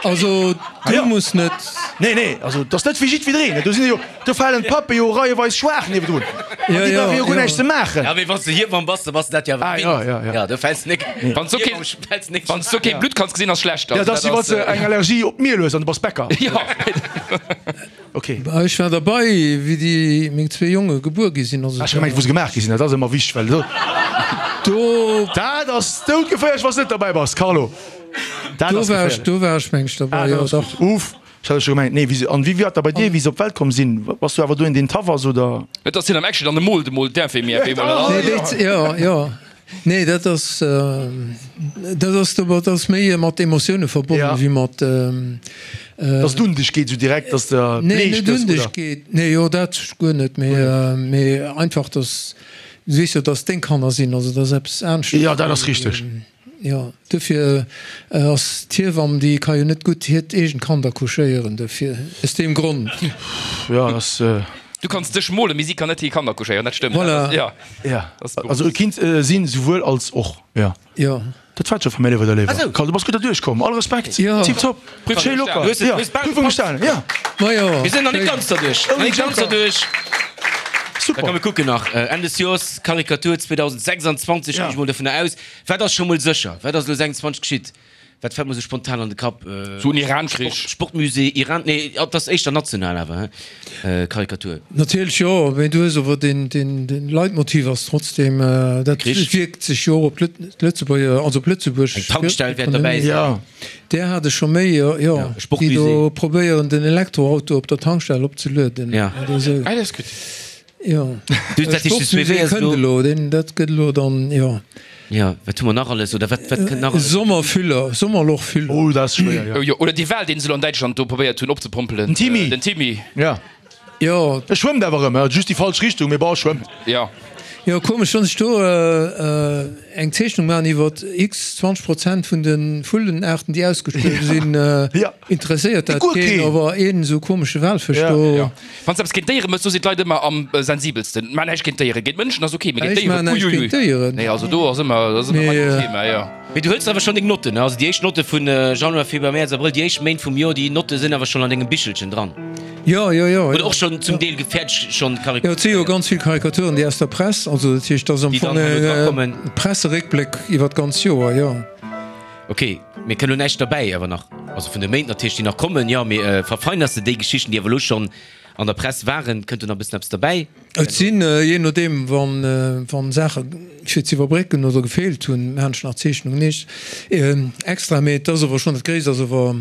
Also du muss net. Nee, nee, also dat ass net fir jiddwereen. Do sinn jo, do falen d'Pappe jo reieweis schwaach niewendrun. An déi brauche jo guer näischt ze maachen. Ja, mee wann s de Hiewamm bass, da bass de dat jo awer Ah, ja, ja, ja. Ja, do fäls nik. Wann s du keen, fäls nik. wann s du keen Blutt kanns gesinn, ass schlecht. Ja, Also dat ass dat wéi wann ass, s de eng Allergie op d'Miel hues an du bass Bäcker. Ja. Ok. Ech war derbei, wéi déi meng zwee Jonge gebuer gi sinn. Also Ech hu gemengt, wou se gemaach gi sinn. Dat ass ëmmer wichteg, well do, do, dat ass doudgeféierlech, wann s de net derbäi bass, Carlo. Dat do ass war ech, geféierlech. do war ech meng ech derbei, Ah, jo dat ass dach. gutt. Uff, ech hat scho gemengt, nee, wéi se, an wéi war dat bei dir, wéi se op d'Welt komm sinn? Bass du awer do een, deen taff ass, oder? Et ass hien am Action an de moolt emol d'Infirmière op eemol. Nee, déi, jo, jo. Nee, dat ass, dat ass, dat ass méi mat Emotioune verbonnen, Ja. wéi mat. Dass et un dech geet, esou direkt, dass de Nee, bleech net gëss, un dech oder? geet. Nee, jo, dat guer net, mee, mee einfach, dass, du weess jo, dass deng Kanner sinn, also dat ass eppes aneschters. Ja, dat ass richteg. Jo, dofir ass d'Hiewamm, déi ka jo net gutt hiert eegent Kand accouchéieren, dofir, aus deem Grond. Ja, dat ass. Du kanns dech molen, mee si kann net hir Kanner accouchéieren, dat stëmmt. Voilà. Ja. Ja, Das also e kinnt sinn souwuel als och. Ja. Jo. Dat war et scho vu mir, léiwer der Léiwer. Ah sou. Carl, du bass gutt derduerch komm. All Respekt. Ja. Tiptop. Prüfung Schéi locker. bestane. Du hues et- Ja. du hues bal Prüfung gepackt. bestane, ja. Ma jo. Mir sinn nach net Schéin. ganz derduerch. Nach net ganz derduerch. Super. Da kann mir kucken nach. Enn des Joers, Karikatur zweedausendsechsundzwanzeg, Ja. ginn ech mol dovunner aus. Wat ass scho mol sécher? Wat ass elo sechsundzwanzeg geschitt? Wat fält mer sou spontan an de Kapp? Sou en Iran-Krich. Sport, Sportmusée, Iran, nee, dat ass éischter national awer, he? Karikatur. Natierlech jo, mee du hues awer den, den, den Leitmotiv ass trotzdem, dat Krich. wierkt sech jo och op d'Lëtzebuerger, also op Lëtzebuerg. Eng Tankstell wäert derbäi sinn. Ja. Där hat ech scho méi, jo, jo. Ja, Déi Sportmusée. do probéieren den Elektroauto op der Tankstell opzelueden. Ja. Oder sou. Ah, dat ass gutt. Jo. Du, dat heescht, de Sportmusée S W W ass kënnt elo. elo, deen, dat gëtt elo dann, jo. Ja, wat hu mer nach alles oder wat, wat kënnt nach alles? Sommerfüller, Sommerlochfüller. Oh, dat ass schwéier, ja. Oh jo, oder déi Wal, deen se elo an Däitschland do probéiert hunn opzepompelen. Den Timmy. Den Timmy. Ja. Jo. E schwëmmt awer erëm, just déi falsch Richtung, mee bon, e schwëmmt. Ja. Jo, komesch, wann ech do eng Zeechnung maachen iwwer x zwanzeg Prozent vun de Vullenaarten, déi ausgestuerwe sinn, interesséiert dat keen, awer een esou komesche Walfësch do. Jo. Wann s de eppes géint Déiere méchs, do sinn d'Leit ëmmer am sensibelsten. Maach näischt géint Déieren. Géint Mënschen ass ok, mee géint Ech Déieren, maachen näischt uiuiui. géint Déieren. Nee, also do ass ëmmer, dat ass ëmmer Mee. mein Thema, jo. Mee du hëls awer schonn deng Notten, ne? Also déi éischt Notte vun Januar, Februar, Mäerz, Abrëll, déi éischt Méint vum Joer, déi Notte sinn awer schonn an dengem Bichelchen dran. Jo, jo, jo. Oder och schonn zum Deel gefäerdeg schonn Jo, et si jo ganz vill Karikaturen, déi aus der Press, also dat heescht, dat ass am Déi Fong dann herno e drakommen. Presseréckbléck iwwer d'ganz Joer, jo. Ok, mee kënnt elo näischt derbäi awer nach? Also vun de Méint natierlech, déi nach kommen, jo, mee verfeiners de déi Geschichten, déi awer elo schonn an der Press waren? Kënnt do nach e bëssen eppes derbäi? Et sinn, jee nodeem, wann Saache fir z'iwwerbrécken oder gefeelt hunn, maachen ech nach Zeechnungen eescht extra. Mee et ass awer schonn, dat Gréisst ass awer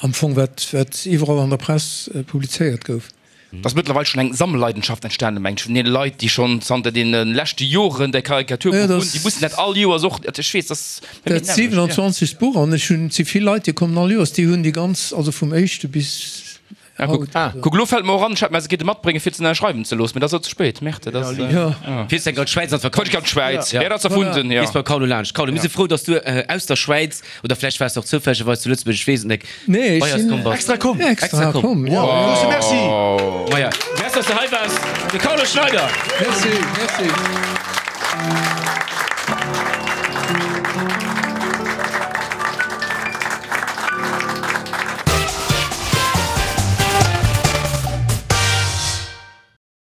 am Fong wat wat iwwerall an der Press publizéiert gouf. Et ass mëttlerweil schonn eng Sammelleidenschaft entstanen, mengen ech, vun deene Leit, déi schonn zanter deene leschte Joren däi Karikaturbuch hunn. Déi mussen dat all Joers och, ech weess, dass. Dat siwenanzwanzegst Buch an ech hunn, et si vill Leit, déi kommen all Joers, déi hunn déi ganz, also vum éischte bis Ah, kuck, kuck, elo fält mer och an, ech hätt mer se kéinte matbréngen, fir ze ënnerschreiwen ze loossen, mee dat ass elo ze spéit. Merde, dat ass. Ja. Fiers enk an d'Schwäiz an d'Vakanz. Fuer ech an d'Schwäiz, ja, dat ass erfunden, ja. Gees beim Carlo laanscht. Carlo, mir si frou, dass du aus der Schwäiz, oder vläicht waars de och zoufällegerweis zu Lëtzebuerg, ech weess et nek, Nee, bei ech eis sinn komm bass. Extra komm. Extra komm, ja. Wow, grouse Merci. Maja, merci, dass du hei waars, de Carlo Schneider. Merci, merci.